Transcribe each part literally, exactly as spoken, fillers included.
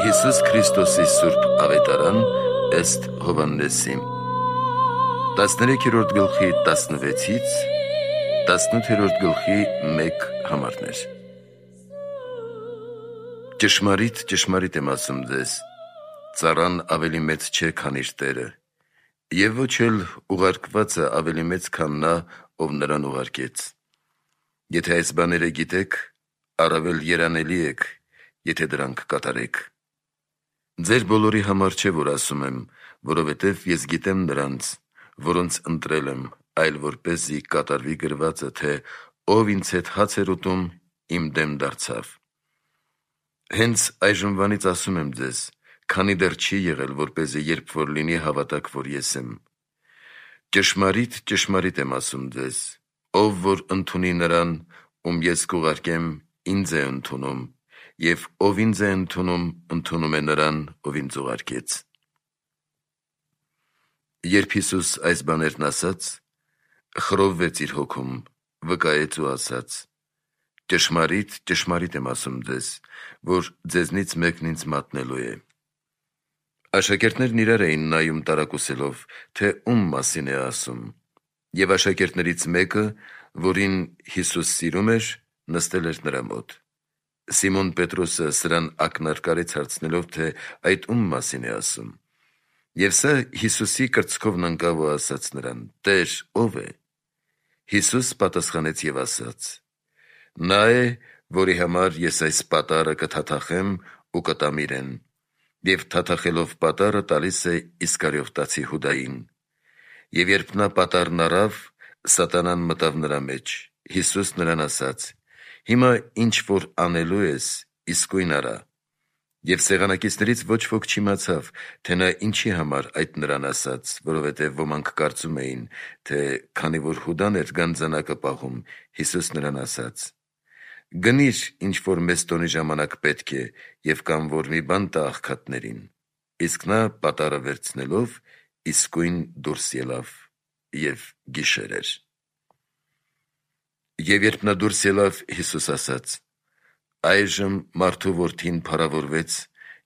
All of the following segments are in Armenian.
Հիսուս Քրիստոսի Սուրբ Ավետարան ըստ Հովհաննեսի տասներեքերորդ գլխի տասնվեցից տասնութերորդ գլխի մեկ համարներ։ Ճշմարիտ, ճշմարիտ եմ ասում ձեզ, ծառան ավելի մեծ չէ, քան իր տերը, և ոչ էլ ուղարկվածը ավելի մեծ, քան նա, ով նրան ուղարկեց։ Եթե այս բաները գիտեք, առավել երանելի եք, եթե դրանք կատարեք։ Ձեր բոլորի համար չէ, որ ասում եմ, որովհետև ես գիտեմ նրանց, որոնց ընտրել եմ, այլ որպեսզի կատարվի գրվածը, թե ով ինձ հետ հաց էր ուտում, իմ դեմ դարձավ։ Հենց այժմվանից ասում եմ ձեզ, քանի դեռ չի եղել, որպեսզի երբ որ լինի, հավատաք, որ ես եմ։ Ճշմարիտ, ճշմարիտ եմ ասում ձեզ, ով որ ընդունի նրան, ում ես կուղարկեմ, ինձ է ընդունում, և ով ինձ է ընդունում, ընդունում է նրան, ով ինձ ուղարկեց։ Երբ Հիսուս այս բաներն ասաց, խռովվեց իր հոգում, վկայեց ու ասաց. «Ճշմարիտ, ճշմարիտ եմ ասում ձեզ, որ ձեզնից մեկն ինձ մատնելու է»։ Աշակերտներն իրար էին նայում տարակուսելով, թե ում մասին է ասում, և աշակերտներից մեկը, որին Հիսուս սիրում էր, նստել էր նրա մոտ։ Սիմոն Պետրոսը սրան ակնարկարեց հարցնելով, թե այդ ում մասին է ասում։ Եվ սա Հիսուսի կրծքովն ընկավ ու ասաց նրան. «Տե՛ր, ո՞վ է»։ Հիսուս պատասխանեց և ասաց. «Նա է, որի համար ես այս պատառը կթաթախեմ ու կտամ իրեն, և թաթախելով պատառը տալիս է Իսկարիովտացի Հուդային»։ Եվ երբ նա պատառն առավ, սատանան մտավ նրա մեջ։ Հիսուս նրան ասաց. «Հիմա ինչ որ անելու ես, իսկույն արա»։ Եվ սեղանակիցներից ոչ ոք չիմացավ, թե նա ինչի համար այդ նրան ասաց, որովհետև ոմանք կարծում էին, թե քանի որ Հուդան էր գանձանակը պահում, Հիսուս նրան ասաց. «Գնիր, ինչ որ մեզ տոնի ժամանակ պետք է, և կամ որ մի բան տա աղքատներին»։ Իսկ նա պատառը վերցնելով իսկույն դուրս ելավ, և գիշեր էր։ Եվ երբ նա դուրս ելավ, Հիսուս ասաց. «Այժմ մարդու որդին փառավորվեց,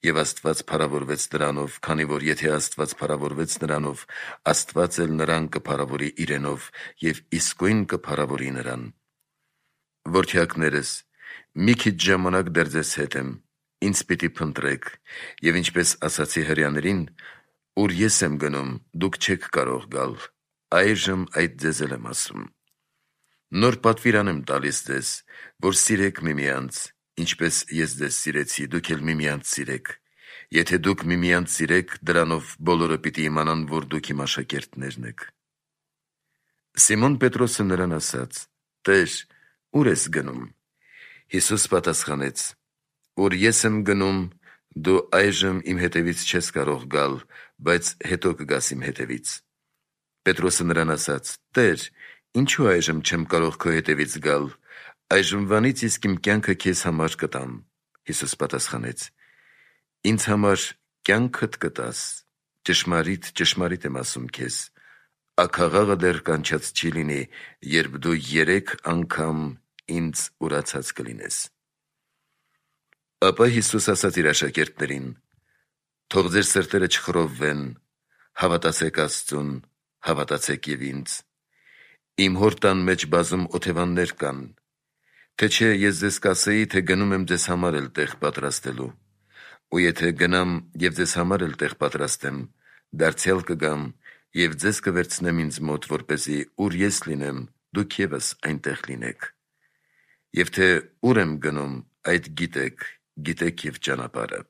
և Աստված փառավորվեց նրանով, քանի որ եթե Աստված փառավորվեց նրանով, Աստված էլ նրան կփառավորի իրենով և իսկույն կփառավորի նրան։ Որդյակներս, մի քիչ ժամանակ դեռ ձեզ հետ եմ, ինձ պիտի փնտրեք, և ինչպես ասացի հրեաներին, ուր ես եմ գնում, դուք չեք կարող գալ, այժմ այդ ձեզ էլ եմ ասում։ Նոր պատվիրան եմ տալիս ձեզ, որ սիրեք միմյանց, ինչպես ես ձեզ սիրեցի, դուք էլ միմյանց սիրեք։ Եթե դուք միմյանց սիրեք, դրանով բոլորը պիտի իմանան, որ դուք իմ աշակերտներն եք»։ Սիմոն Պետրոսը նրան ասաց. «Տե՛ր, ուր ես գնում»։ Հիսուս պատասխանեց. «Ուր ես եմ գնում, դու այժմ իմ հետևից չես կարող գալ, բայց հետո կգաս իմ հետևից»։ Պետրոսը նրան ասաց. «Տե՛ր, ինչու այժմ չեմ կարող քո հետևից գալ, այժմվանից իսկ իմ կյանքը քեզ համար կտամ»։ Հիսուս պատասխանեց. «Ինձ համար կյանքդ կտաս, ճշմարիտ, ճշմարիտ եմ ասում քեզ, աքաղաղը դեռ կանչած չի լինի, երբ դու երեք անգամ ինձ ուրացած կլինես»։ Ապա Հիսուս ասաց իր աշակերտներին. «Թող ձեր սրտերը չխռովվեն, հավատացեք Աստծուն, հավատացեք և ինձ։ Իմ Հոր տան մեջ բազում օթևաններ կան, թե չէ ես ձեզ կասեի, թե գնում եմ ձեզ համար էլ տեղ պատրաստելու։ Ու եթե գնամ և ձեզ համար էլ տեղ պատրաստեմ, դարձյալ կգամ և ձեզ կվերցնեմ ինձ մոտ, որպեսզի ուր ես լինեմ, դուք ևս այնտեղ լինեք։ Եվ թե ուր եմ գնում, այդ գիտեք, գիտեք և ճանապարհը»։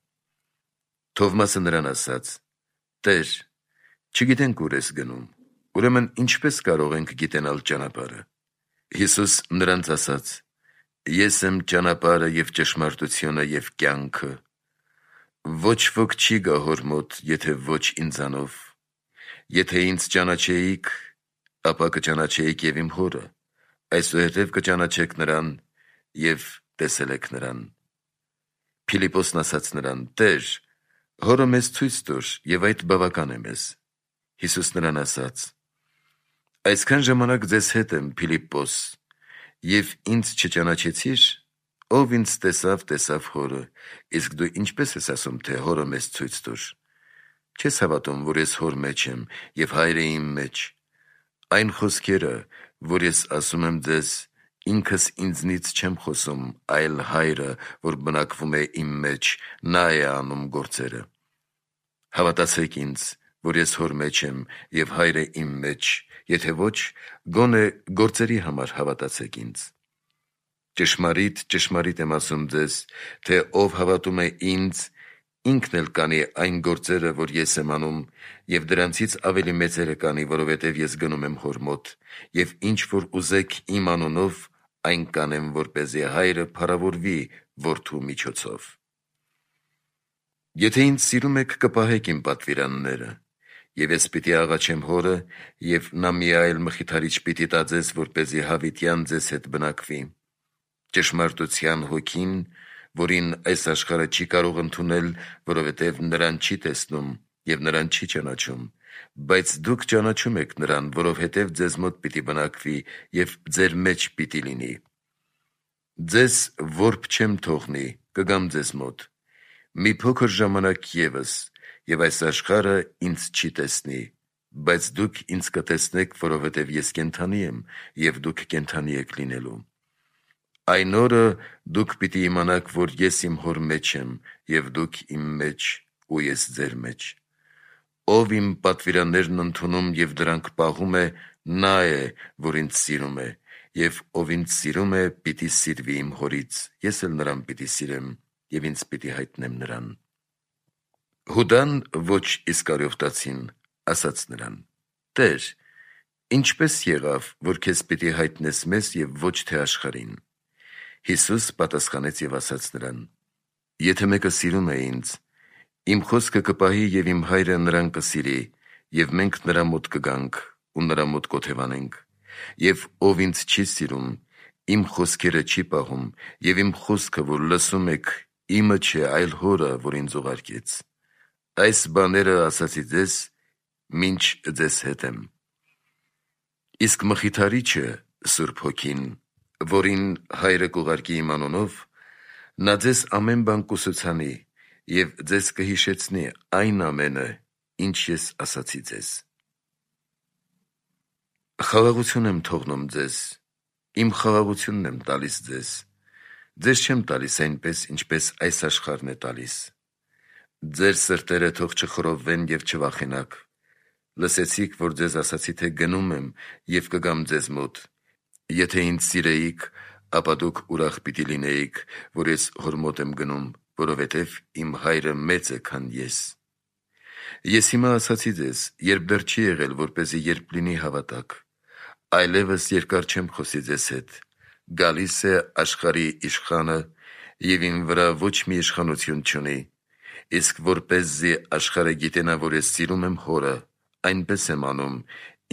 Թովմասը նրան ասաց. «Տե՛ր, չգիտենք ուր ես գնում, ուրեմն ինչպե՞ս կարող ենք գիտենալ ճանապարհը»։ Հիսուս նրանց ասաց. «Ես եմ ճանապարհը և ճշմարտությունը և կյանքը. ոչ ոք չի գա Հոր մոտ, եթե ոչ ինձանով։ Եթե ինձ ճանաչեիք, ապա կճանաչեիք և իմ Հորը, այսուհետև կճանաչեք նրան և տեսել եք նրան»։ Փիլիպպոսն ասաց նրան. «Տե՛ր, Հորը մեզ ցույց տուր, և այդ բավական է մեզ»։ Հիսուս նրան ասաց. «Այսքան ժամանակ ձեզ հետ եմ, Փիլիպպոս, և ինձ չճանաչեցի՞ր, Ով ինձ տեսավ, տեսավ հորը, իսկ դու ինչպես ես ասում, թե հորը մեզ ցույց տուր։ Չես հավատում, որ ես հոր մեջ եմ, և հայրը իմ մեջ։ Այն խոսքերը, որ ես ասում եմ ձեզ, ինքս ինձնից չեմ խոսում, այլ հայրը, որ բնակվում է իմ մեջ, նա է անում գործերը։ Հավատացեք ինձ, որ ես հոր մեջ եմ, և հայրը իմ մեջ, եթե ոչ, գոնե գործերի համար հավատացեք ինձ։ Ճշմարիտ, ճշմարիտ եմ ասում ձեզ, թե ով հավատում է ինձ, ինքն էլ կանի այն գործերը, որ ես եմ անում, և դրանցից ավելի մեծերը կանի, որովհետև ես գնում եմ հոր մոտ, և ինչ որ ուզեք իմ անունով, այն կանեմ, որպեսզի հայրը փառավորվի որդու միջոցով։ Եթե ինձ սիրում եք, կպահեք իմ պատվիրանները, և ես պիտի աղաչեմ հորը, և նա մի այլ մխիթարիչ պիտի տա ձեզ, որպեսզի հավիտյան ձեզ հետ բնակվի։ Ճշմարտության հոգին, որին այս աշխարհը չի կարող ընդունել, որովհետև նրան չի տեսնում և նրան չի ճանաչում, բայց դուք ճանաչում եք նրան, որովհետև ձեզ մոտ պիտի բնակվի և ձեր մեջ պիտի լինի։ Ձեզ որբ չեմ թողնի, կգամ ձեզ մոտ։ Մի փոքր ժամանակ ևս, և այս աշխարհը ինձ չի տեսնի, բայց դուք ինձ կտեսնեք, որովհետև ես կենդանի եմ, և դուք կենդանի եք լինելու։ Այն օրը դուք պիտի իմանաք, որ ես իմ հոր մեջ եմ, և դուք իմ մեջ, ու ես ձեր մեջ։ Ով իմ պատվիրաններն ընդունում և դրանք պահում է, նա է, որ ինձ սիրում է, և ով ինձ սիրում է, պիտի սիրվի իմ հորից, ես էլ նրան պիտի սիրեմ, և ինձ պիտի հայտնեմ նրան։ Հուդան ոչ Իսկարիովտացին ասաց նրան. «Տեր, ինչպե՞ս եղավ, որ քեզ պիտի հայտնես մեզ և ոչ թե աշխարհին»։ Հիսուս պատասխանեց և ասաց նրան. «Եթե մեկը սիրում է ինձ, իմ խոսքը կպահի և իմ հայրը նրան կսիրի, և մենք նրա մոտ կգանք ու նրա մոտ կօթևանենք։ Եվ ով ինձ չի սիրում, իմ խոսքերը չի պահում, և իմ խոսքը, որ լսում եք, իմը չէ, այլ հորը, որ ինձ ուղարկեց։ Այս բաները ասացի ձեզ, մինչ ձեզ հետ եմ։ Իսկ Մխիթարիչը, Սուրբ Հոգին, որին հայրը կուղարկի իմ անունով, նա ձեզ ամեն բան կուսուցանի և ձեզ կհիշեցնի այն ամենը, ինչ ես ասացի ձեզ։ Խաղաղություն եմ թողնում ձեզ, իմ խաղաղությունն եմ տալիս ձեզ, ձեզ չեմ տալիս այնպես, ինչպես այս աշխարհն է տալիս։ Ձեր սրտերը թող չխռովվեն և չվախենաք։ Լսեցիք, որ ձեզ ասացի, թե գնում եմ և կգամ ձեզ մոտ։ Եթե ինձ սիրեիք, ապա դուք ուրախ պիտի լինեիք, որ ես հոր մոտ եմ գնում, որովհետև իմ հայրը մեծ է, քան ես։ Ես հիմա ասացի ձեզ, երբ դեռ չի եղել, որպեսզի երբ լինի հավատաք։ Այլևս երկար չեմ խոսի ձեզ հետ, գալիս է աշխարհի իշխանը, և իմ վրա ոչ մի իշխանություն չունի, իսկ որպեսզի աշխարհը գիտենա, որ ես սիրում եմ հորը, այնպես եմ անում,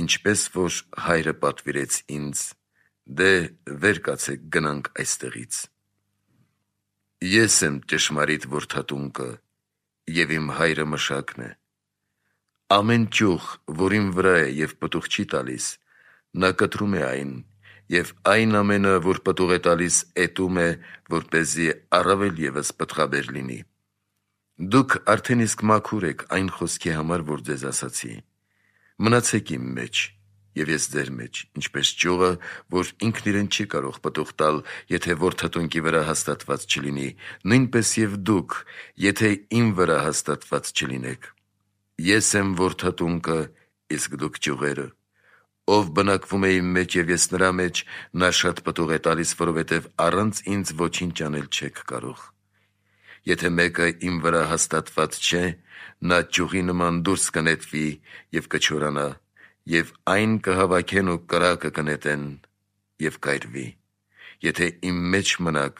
ինչպես որ հայրը պատվիրեց ինձ։ Դե վեր կացեք, գնանք այստեղից։ Ես եմ ճշմարիտ որդատունկը, և իմ հայրը մշակն է։ Ամեն ճյուղ, որ իմ վրա է և պտուղ չի տալիս, նա կտրում է այն, և այն ամենը, որ պտուղ է տալիս, էտում է, որպեսզի առավել ևս պտղաբեր լինի։ Դուք արդեն իսկ մաքուր եք այն խոսքի համար, որ ձեզ ասացի։ Մնացեք իմ մեջ, և ես ձեր մեջ, ինչպես ճյուղը, որ ինքն իրեն չի կարող պտուղ տալ, եթե որդատունկի վրա հաստատված չլինի, նույնպես և դուք, եթե իմ վրա հաստատված չլինեք։ Ես եմ որդատունկը, իսկ դուք ճյուղերը։ Ով բնակվում է իմ մեջ և ես նրա մեջ, նա շատ պտուղ է տալիս, որովհետև առանց ինձ ոչինչ անել չեք կարող։ Եթե մեկը իմ վրա հաստատված չէ, նա ճյուղի նման դուրս կնետվի և կչորանա, և այն կհավաքեն ու կրակը կնետեն և կայրվի։ Եթե իմ մեջ մնաք,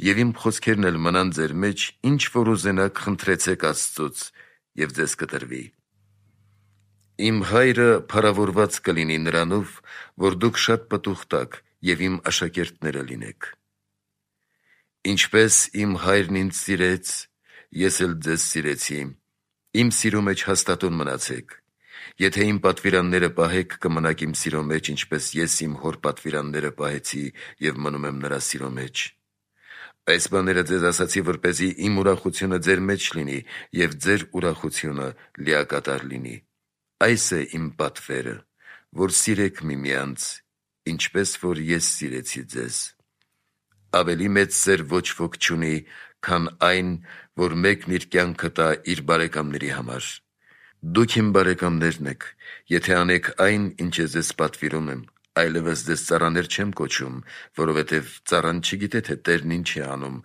և իմ խոսքերն էլ մնան ձեր մեջ, ինչ որ ուզենաք, խնդրեցեք Աստծուց, և ձեզ կտրվի։ Իմ հայրը փառավորված կլինի նրանով, որ դուք շատ պտուղ տաք և իմ աշակերտները լինեք։ Ինչպես իմ հայրն ինձ սիրեց, ես էլ ձեզ սիրեցի, իմ սիրո մեջ հաստատուն մնացեք։ Եթե իմ պատվիրանները պահեք, կմնաք իմ սիրո մեջ, ինչպես ես իմ հոր պատվիրանները պահեցի և մնում եմ նրա սիրո մեջ։ Այս բաները ձեզ ասացի, որպեսզի իմ ուրախությունը ձեր մեջ լինի և ձեր ուրախությունը լիակատար լինի։ Այս է իմ պատվերը, որ սիրեք միմյանց, ինչպես որ ես սիրեցի ձեզ։ Ավելի մեծ սեր ոչ ոք չունի, քան այն, որ մեկն իր կյանքը տա իր բարեկամների համար։ Դուք իմ բարեկամներն եք, եթե անեք այն, ինչ ես ձեզ պատվիրում եմ, այլևս ձեզ ծառաներ չեմ կոչում, որովհետև ծառան չգիտե, թե տերն ինչ է անում,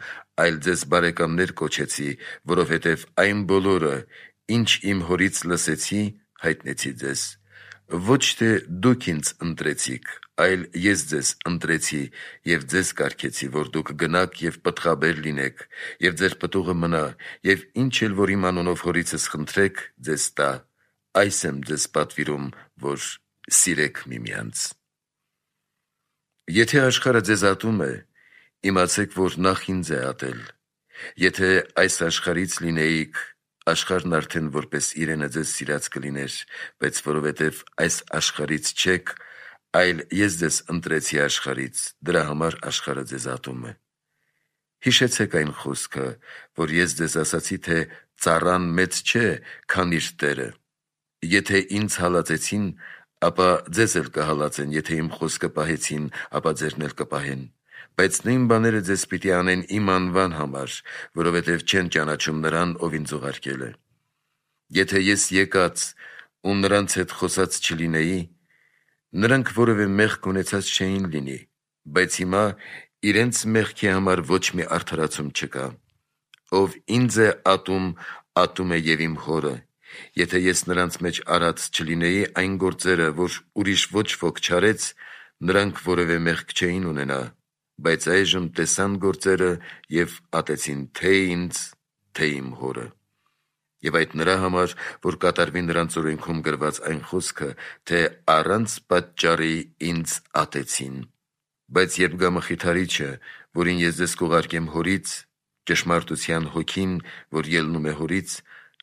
այլ ձեզ բարեկամներ կոչեցի, որովհետև այն բոլորը, ինչ իմ հորից լսեցի, հայտնեցի ձեզ։ Ոչ թե դուք ինձ ընտրեցիք, այլ ես ձեզ ընտրեցի և ձեզ կարգեցի, որ դուք գնաք և պտղաբեր լինեք, և ձեր պտուղը մնա, և ինչ էլ որ իմ անունով հորիցս խնդրեք, ձեզ տա։ Այս եմ ձեզ պատվիրում, որ սիրեք միմյանց։ Եթե աշխարհը ձեզ ատում է, իմացեք, որ նախ ինձ է ատել։ Եթե այս աշխարհից լինեիք, աշխարհն արդեն որպես իրենը ձեզ սիրած կլիներ, բայց որովհետև այս աշխարհից չեք, այլ ես ձեզ ընտրեցի աշխարհից, դրա համար աշխարհը ձեզ ատում է։ Հիշեցեք այն խոսքը, որ ես ձեզ ասացի, թե ծառան մեծ չէ, քան իր տերը։ Եթե ինձ հալածեցին, ապա ձեզ էլ կհալածեն, եթե իմ խոսքը պահեցին, ապա ձերն էլ կպահեն։ Բայց նույն բաները ձեզ պիտի անեն իմ անվան համար, որովհետև չեն ճանաչում նրան, ով ինձ ուղարկել է։ Եթե ես եկած ու նրանց հետ խոսած չլինեի, նրանք որևէ մեղք ունեցած չէին լինի, բայց հիմա իրենց մեղքի համար ոչ մի արդարացում չկա։ Ով ինձ է ատում, ատում է և իմ հորը։ Եթե ես նրանց մեջ արած չլինեի այն գործերը, որ ուրիշ ոչ ոք չարեց, նրանք որևէ մեղք չէին ունենա, բայց այժմ տեսան գործերը և ատեցին թե ինձ, թե իմ հորը։ Եվ այդ նրա համար, որ կատարվի նրանց օրենքում գրված այն խոսքը, թե առանց պատճառի ինձ ատեցին։ Բայց երբ գա Մխիթարիչը, որին ես ձեզ կուղարկեմ հորից, ճշմարտության հոգին, որ ելնում է հորից,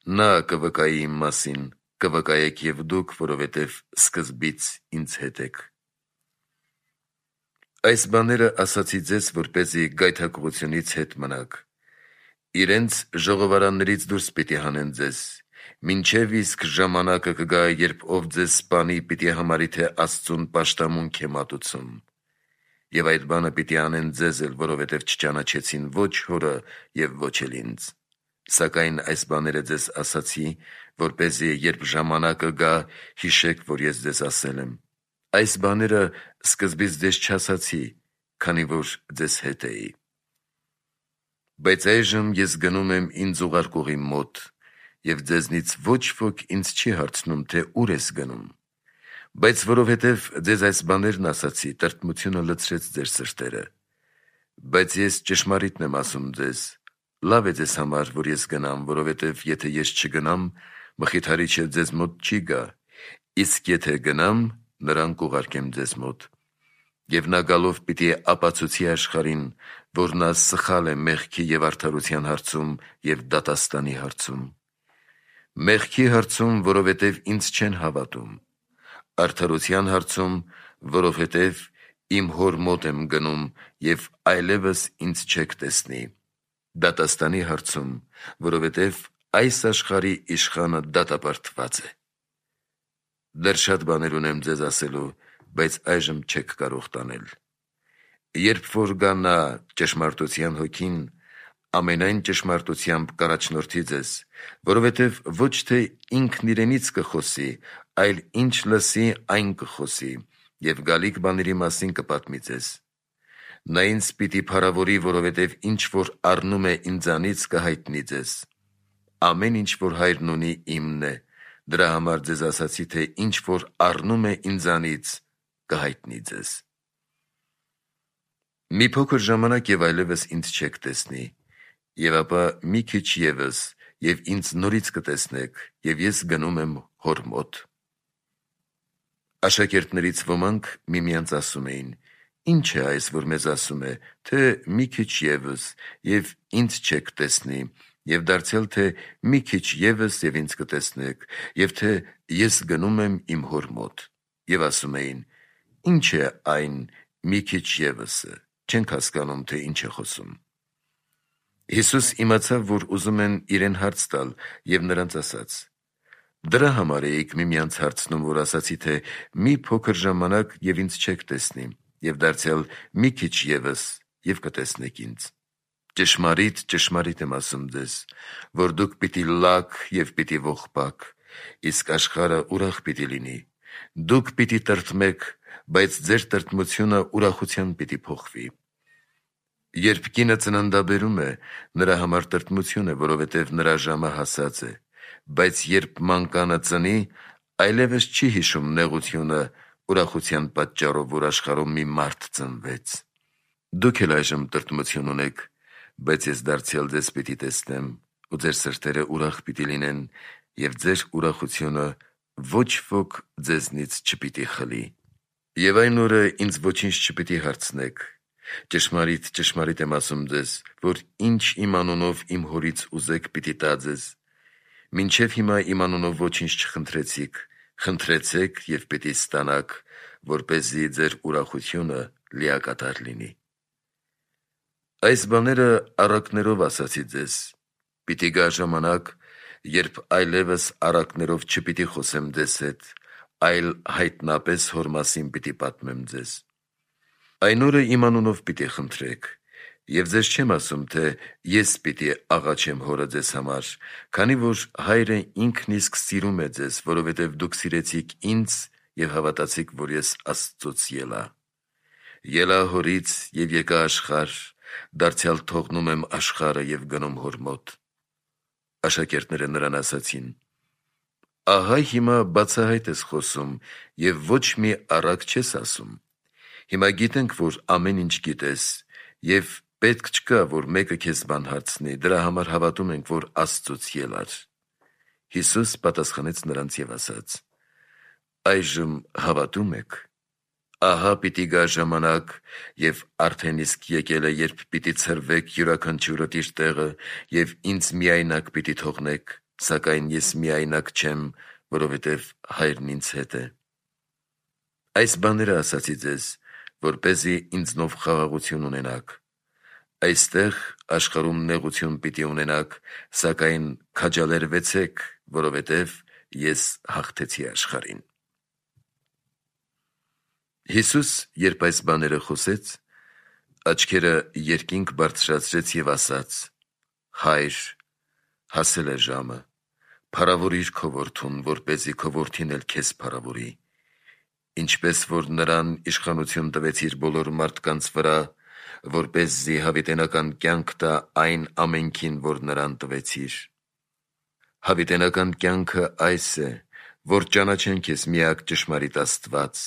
նա կվկայի իմ մասին, կվկայեք և դուք, որովհետև սկզբից ինձ հետ եք։ Այս բաները ասացի ձեզ, որպեսզի գայթակղությունից հետ մնաք։ Իրենց ժողովարաններից դուրս պիտի հանեն ձեզ, մինչև իսկ ժամանակը կգա, երբ ով ձեզ սպանի, պիտի համարի, թե Աստծուն պաշտամունք է մատուցում։ Եվ այդ բանը պիտի անեն ձեզ էլ, որովհետև չճանաչեցին ոչ հորը և ոչ էլ ինձ։ Սակայն այս բաները ձեզ ասացի, որպեսզի երբ ժամանակը գա, հիշեք, որ ես ձեզ ասել եմ։ Այս բաները սկզբից ձեզ չասացի, քանի որ ձեզ հետ էի։ Բայց այժմ ես գնում եմ ինձ ուղարկողի մոտ, և ձեզնից ոչ ոք ինձ չի հարցնում, թե ուր ես գնում։ Բայց որովհետև ձեզ այս բաներն ասացի, տրտմությունը լցրեց ձեր սրտերը։ Բայց ես ճշմարիտն եմ ասում ձեզ, լավ է ձեզ համար, որ ես գնամ, որովհետև եթե ես չգնամ, Մխիթարիչը ձեզ մոտ չի գա, իսկ եթե գնամ, նրան կուղարկեմ ձեզ մոտ։ Եվ նա գալով պիտի ապացուցի աշխարհին, որ նա սխալ է մեղքի և արդարության հարցում և դատաստանի հարցում։ Մեղքի հարցում, որովհետև ինձ չեն հավատում, արդարության հարցում, որովհետև իմ հոր մոտ եմ գնում և այլևս ինձ չեք տեսնի, դատաստանի հարցում, որովհետև այս աշխարհի իշխանը դատապարտված է։ Դեռ շատ բաներ ունեմ ձեզ ասելու, բայց այժմ չեք կարող տանել։ Երբ որ գա նա ճշմարտության հոգին, ամենայն ճշմարտությամբ կառաջնորդի ձեզ, որովհետև ոչ թե ինքն իրենից կխոսի, այլ ինչ լսի, այն կխոսի, և գալիք բաների մասին կպատմի ձեզ։ Նա ինձ պիտի փառավորի, որովհետև ինչ որ առնում է ինձանից, կհայտնի ձեզ։ Ամեն ինչ որ Հայրն ունի, իմն է, դրա համար ձեզ ասացի, թե ինչ որ առնում է ինձանից, կհայտնի ձեզ։ Մի փոքր ժամանակ և այլևս ինձ չեք տեսնի, և ապա մի քիչ ևս, և ինձ նորից կտեսնեք, և ես գնում եմ հոր մոտ։ Աշակերտներից ոմանք միմյանց ասում էին. «Ինչ է այս, որ մեզ ասում է, թե մի քիչ ևս, և ինձ չեք տեսնի, և դարձյալ, թե մի քիչ ևս, և ինձ կտեսնեք, և թե ես գնում եմ իմ հոր մոտ»։ Եվ ասում էին. «Ինչ է այն մի քիչ ևսը, չենք հասկանում, թե ինչ է խոսում»։ Հիսուս իմացավ, որ ուզում են իրեն հարց տալ, և նրանց ասաց. «Դրա համար էիք միմյանց հարցնում, որ ասացի, թե մի փոքր ժամանակ և ինձ չեք տեսնի, և դարձյալ մի քիչ ևս, և կտեսնեք ինձ։ Ճշմարիտ, ճշմարիտ եմ ասում ձեզ, որ դուք պիտի լաք և պիտի ողբաք, իսկ աշխարհը ուրախ պիտի լինի։ Դուք պիտի տրտմեք, բայց ձեր տրտմությունը ուրախության պիտի փոխվի։ Երբ կինը ծննդաբերում է, նրա համար տրտմություն է, որովհետև նրա ժամը հասած է, բայց երբ մանկանը ծնի, այլևս չի հիշում նեղությունը ուրախության պատճառով, որ աշխարհում մի մարդ ծնվեց։ Դուք էլ այժմ տրտմություն ունեք, բայց ես դարձյալ ձեզ պիտի տեսնեմ, ու ձեր սրտերը ուրախ պիտի լինեն, և ձեր ուրախությունը ոչ ոք ձեզնից չպիտի խլի։ Եվ այն օրը ինձ ոչինչ չպիտի հարցնեք։ Ճշմարիտ, ճշմարիտ եմ ասում ձեզ, որ ինչ իմ անունով իմ Հորից ուզեք, պիտի տա ձեզ։ Մինչև հիմա իմ անունով ոչինչ չխնդրեցիք, խնդրեցեք և պիտի ստանաք, որպեսզի ձեր ուրախությունը լիակատար լինի։ Այս բաները առակներով ասացի ձեզ. պիտի գա ժամանակ, երբ այլևս առակներով չպիտի խոսեմ ձեզ հետ, այլ հայտնապես Հոր մասին պիտի պատմեմ ձեզ։ Այն օրը իմ անունով պիտի խնդրեք, և ձեզ չեմ ասում, թե ես պիտի աղաչեմ Հորը ձեզ համար, քանի որ Հայրը ինքն իսկ սիրում է ձեզ, որովհետև դուք սիրեցիք ինձ և հավատացիք, որ ես Աստծուց ելա։ Ելա Հորից և եկա աշխարհ, դարձյալ թողնում եմ աշխարհը և գնում Հոր մոտ։ Աշակերտները նրան ասացին. «Ահա հիմա բացահայտ ես խոսում և ոչ մի առակ չես ասում։ Հիմա գիտենք, որ ամեն ինչ գիտես, և պետք չկա, որ մեկը քեզ բան հարցնի, դրա համար հավատում ենք, որ Աստծուց ելար»։ Հիսուս պատասխանեց նրանց և ասաց. «Այժմ հավատո՞ւմ եք։ Ահա պիտի գա ժամանակ, և արդեն իսկ եկել է, երբ պիտի ցրվեք յուրաքանչյուրդ իր տեղը և ինձ միայնակ պիտի թողնեք, սակայն ես միայնակ չեմ, որովհետև Հայրն ինձ հետ է։ Այս բաները ասացի ձեզ, որպեսզի ինձնով խաղաղություն ունենաք։ Այստեղ աշխարհում նեղություն պիտի ունենաք, սակայն քաջալերվեցեք, որովհետև ես հաղթեցի աշխարհին»։ Հիսուս, երբ այս բաները խոսեց, աչքերը երկինք բարձրացրեց և ասաց. «Հայր, հասել է ժամը, փառավորիր քո որդուն, որպեսզի քո որդին էլ քեզ փառավորի, ինչպես որ նրան իշխանություն տվեցիր բոլոր մարդկանց վրա, որպեսզի հավիտենական կյանք տա այն ամենքին, որ նրան տվեցիր։ Հավիտենական կյանքը այս է, որ ճանաչեն քեզ միակ ճշմարիտ Աստված,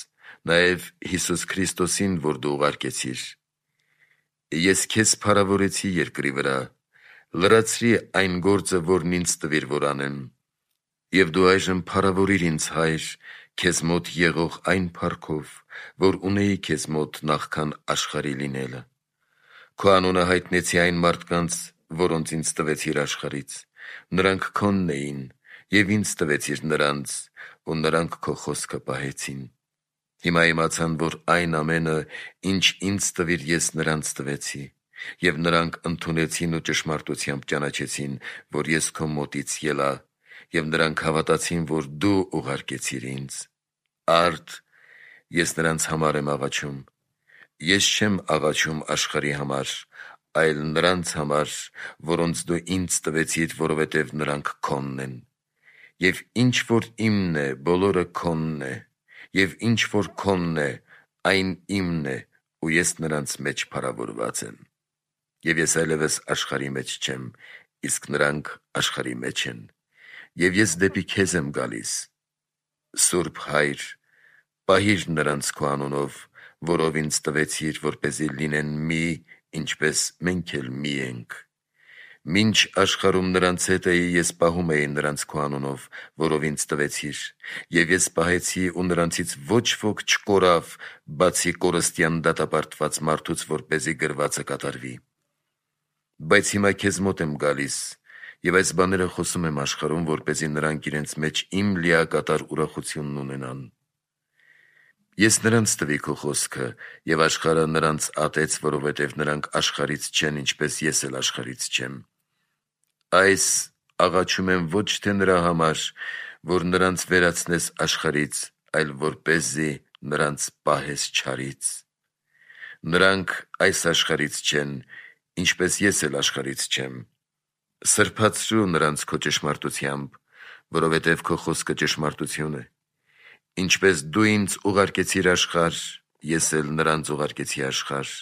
նաև Հիսուս Քրիստոսին, որ դու ուղարկեցիր։ Ես քեզ փառավորեցի երկրի վրա, լրացրի այն գործը, որն ինձ տվիր, որ անեմ։ Եվ դու այժմ փառավորիր ինձ, Հայր, քեզ մոտ եղող այն փառքով, որ ունեի քեզ մոտ նախքան աշխարհի լինելը։ Քո անունը հայտնեցի այն մարդկանց, որոնց ինձ տվեցիր աշխարհից։ Նրանք քոնն էին, և ինձ տվեցիր նրանց, ու նրանք քո խոսքը պահեցին։ Հիմա իմացան, որ այն ամենը, ինչ ինձ տվիր, ես նրանց տվեցի, և նրանք ընդունեցին ու ճշմարտությամբ ճանաչեցին, որ ես քո մոտից ելա, և նրանք հավատացին, որ դու ուղարկեցիր ինձ։ Արդ, ես նրանց համար եմ աղաչում։ Ես չեմ աղաչում աշխարհի համար, այլ նրանց համար, որոնց դու ինձ տվեցիր, որովհետև նրանք քոնն են։ Եվ ինչ որ իմն է, բոլորը քոնն է, և ինչ որ քոնն է, այն իմն է, ու ես նրանց մեջ փառավորված եմ։ Եվ ես այլևս աշխարհի մեջ չեմ, իսկ նրանք աշխարհի մեջ են, և ես դեպի քեզ եմ գալիս։ Սուրբ Հայր, պահիր նրանց քո անունով, որով ինձ տվեցիր, որպեսզի լինեն մի, ինչպես մենք էլ մի ենք։ Մինչ աշխարհում նրանց հետ էի, ես պահում էի նրանց քո անունով, որով ինձ տվեցիր, և ես պահեցի, ու նրանցից ոչ ոք չկորավ, բացի կորստյան դատապարտված մարդուց, որպեսզի գրվածը կատարվի։ Բայց հիմա քեզ մոտ եմ գալիս, և այս բաները խոսում եմ աշխարհում, որպեսզի նրանք իրենց մեջ իմ լիակատար ուրախությունն ունենան։ Ես նրանց տվի քո խոսքը, և աշխարհը նրանց ատեց, որովհետև նրանք աշխարհից չեն, ինչպես ես էլ աշխարհից չեմ։ Այս աղաչում եմ ոչ թե նրա համար, որ նրանց վերացնես աշխարհից, այլ որպեսզի նրանց պահես չարից։ Նրանք այս աշխարհից չեն, ինչպես ես էլ աշխարհից չեմ։ Սրբացրու նրանց քո ճշմարտությամբ, որովհետև քո խոսքը ճշմարտություն է։ Ինչպես դու ինձ ուղարկեցիր աշխարհ, ես էլ նրանց ուղարկեցի աշխարհ։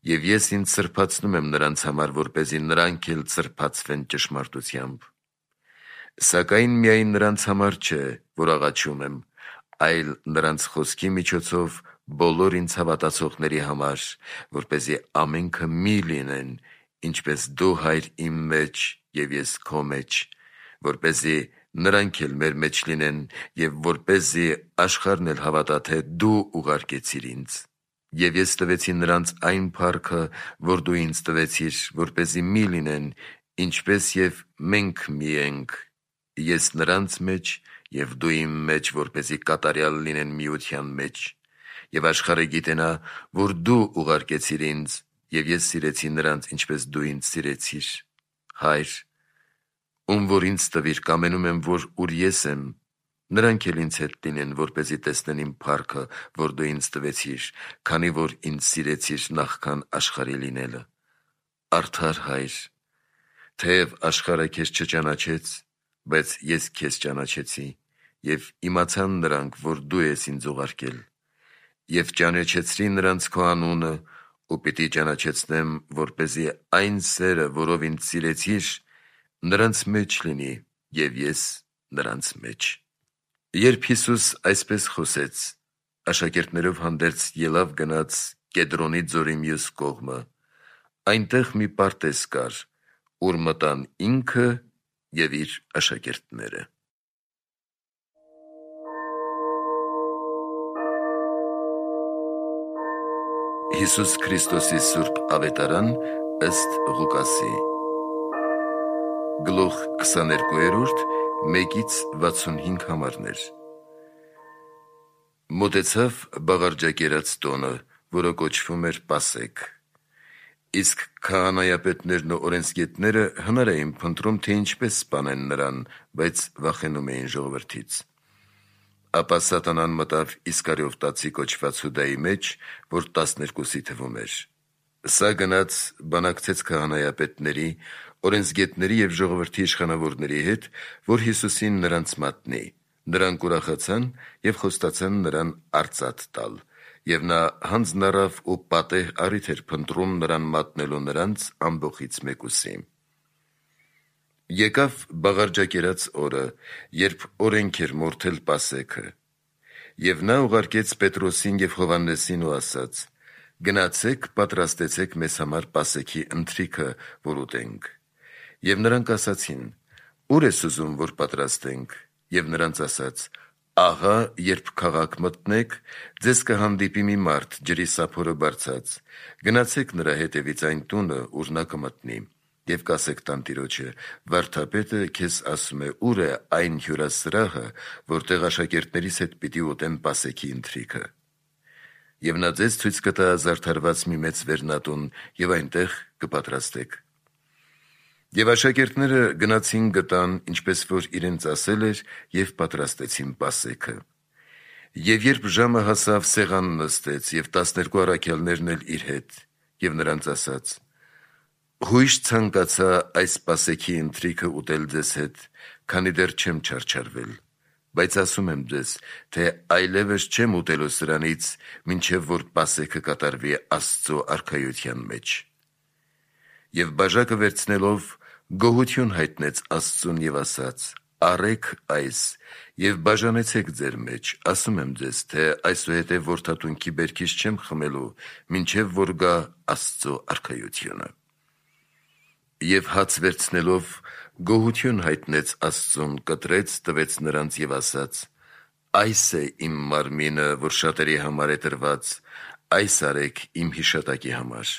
Եվ ես ինձ սրբացնում եմ նրանց համար, որպեսզի նրանք էլ սրբացվեն ճշմարտությամբ։ Սակայն միայն նրանց համար չէ, որ աղաչում եմ, այլ նրանց խոսքի միջոցով բոլոր ինձ հավատացողների համար, որպեսզի ամենքը մի լինեն, ինչպես դու, Հայր, իմ մեջ և ես քո մեջ, որպեսզի նրանք էլ մեր մեջ լինեն, և որպեսզի աշխարհն էլ հավատա, թե դու ուղարկեցիր ինձ։ Եվ ես տվեցի նրանց այն փառքը, որ դու ինձ տվեցիր, որպեսզի մի լինեն, ինչպես և մենք մի ենք, ես նրանց մեջ և դու իմ մեջ, որպեսզի կատարյալ լինեն միության մեջ։ Եվ աշխարհը գիտենա, որ դու ուղարկեցիր ինձ, և ես սիրեցի նրանց, ինչպես դու ինձ սիրեցիր։ Հայր, ում որ ինձ տվիր, կամենում եմ, որ ուր ես եմ, նրանք էլ ինձ հետ լինեն, որպեսզի տեսնեն իմ փառքը, որ դու ինձ տվեցիր, քանի որ ինձ սիրեցիր նախքան աշխարհի լինելը։ Արդար Հայր, թեև աշխարհը քեզ չճանաչեց, բայց ես քեզ ճանաչեցի, և իմացան նրանք, որ դու ես ինձ ուղարկել։ Եվ ճանաչեցրի նրանց քո անունը, ու պիտի ճանաչեցնեմ, որպեսզի այն սերը, որով ինձ սիրեցիր, նրանց մեջ լինի, և ես նրանց մեջ։ Երբ Հիսուս այսպես խոսեց, աշակերտներով հանդերձ ելավ գնաց Կեդրոնի ձորի մյուս կողմը։ Այնտեղ մի պարտեզ կար, ուր մտան ինքը և իր աշակերտները։ Հիսուս Քրիստոսի Սուրբ Ավետարան ըստ Ղուկասի Գլուխ քսաներկու, մեկից վաթսունհինգ համարներ։ Մոտեցավ բաղարջակերած տոնը, որը կոչվում էր Պասեք։ Իսկ քահանայապետներն ու օրենսգետները հնար էին փնտրում, թե ինչպես սպանեն նրան, բայց վախենում էին ժողովրդից։ Ապա Սատանան մտավ Իսկարիովտացի կոչված Հուդայի մեջ, որ տասներկուսի թվում էր։ Սա գնաց բանակցեց քահանայապետների, օրենսգետների և ժողովրդի իշխանավորների հետ, որ Հիսուսին նրանց մատնի։ Նրանք ուրախացան և խոստացան նրան արծաթ տալ, և նա հանձն առավ ու պատեհ առիթ էր փնտրում նրան մատնելու նրանց ամբոխից մեկուսի։ Եկավ բաղարջակերած օրը, երբ օրենք էր մորթել Պասեքը, և նա ուղարկեց Պետրոսին և Հովհաննեսին ու ասաց. «Գնացեք, պատրաստեցեք մեզ համար Պասեքի ընթրիքը, որ ուտենք»։ Եվ նրանք ասացին. «Ո՞ւր ես ուզում, որ պատրաստենք»։ Եվ նրանց ասաց. «Ահա երբ քաղաք մտնեք, ձեզ կհանդիպի մի մարդ ջրի սափորը բարձած, գնացեք նրա հետևից այն տունը, ուր նա կմտնի, և կասեք տանտիրոջը. վարդապետը քեզ ասում է, ուր է այն հյուրասրահը, որտեղ աշակերտներիս հետ պիտի ուտեմ Պասեքի ընթրիքը։ Եվ նա ձեզ ցույց կտա զարդարված մի մեծ վերնատուն, և այնտեղ կպատրաստեք»։ Եվ աշակերտները գնացին գտան, ինչպես որ իրենց ասել էր, և պատրաստեցին Պասեքը։ Եվ երբ ժամը հասավ, սեղան նստեց, և տասներկու առաքյալներն էլ իր հետ, և նրանց ասաց. «Հույժ ցանկացա այս Պասեքի ընթրիքը ուտել ձեզ հետ, քանի դեռ չեմ չարչարվել, բայց ասում եմ ձեզ, թե այլևս չեմ ուտելու սրանից, մինչև որ Պասեքը կատարվի Աստծո արքայության մեջ»։ Եվ բաժակը վերցնելով, գոհություն հայտնեց Աստծուն և ասաց. «Առեք այս և բաժանեցեք ձեր մեջ, ասում եմ ձեզ, թե այսուհետև որդատունքի բերքից չեմ խմելու, մինչև որ գա Աստծո արքայությունը»։ Եվ հաց վերցնելով, գոհություն հայտնեց Աստծուն, կտրեց, տվեց նրանց և ասաց. «Այս է իմ մարմինը, որ շատերի համար է տրված, այս արեք իմ հիշատակի համար»։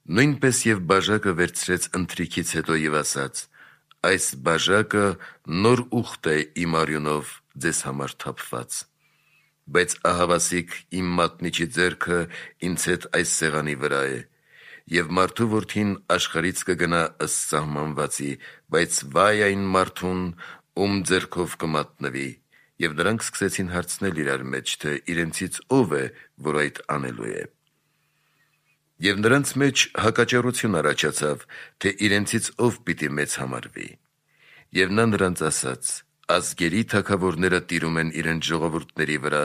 Նույնպես և բաժակը վերցրեց ընթրիքից հետո և ասաց. «Այս բաժակը նոր ուխտ է իմ արյունով ձեզ համար թափված։ բայց ահավասիկ իմ մատնիչի ձեռքը ինձ հետ այս սեղանի վրա է, և մարդու որդին աշխարհից կգնա ըստ սահմանվածի, բայց վայ այն մարդուն, ում ձեռքով կմատնվի, և նրանք սկսեցին հարցնել իրար մեջ, թե իրենցից ով է, որ այդ անելու է։ Եվ նրանց մեջ հակաճառություն առաջացավ, թե իրենցից ով պիտի մեծ համարվի։ Եվ նա նրանց ասաց. ազգերի թագավորները տիրում են իրենց ժողովուրդների վրա,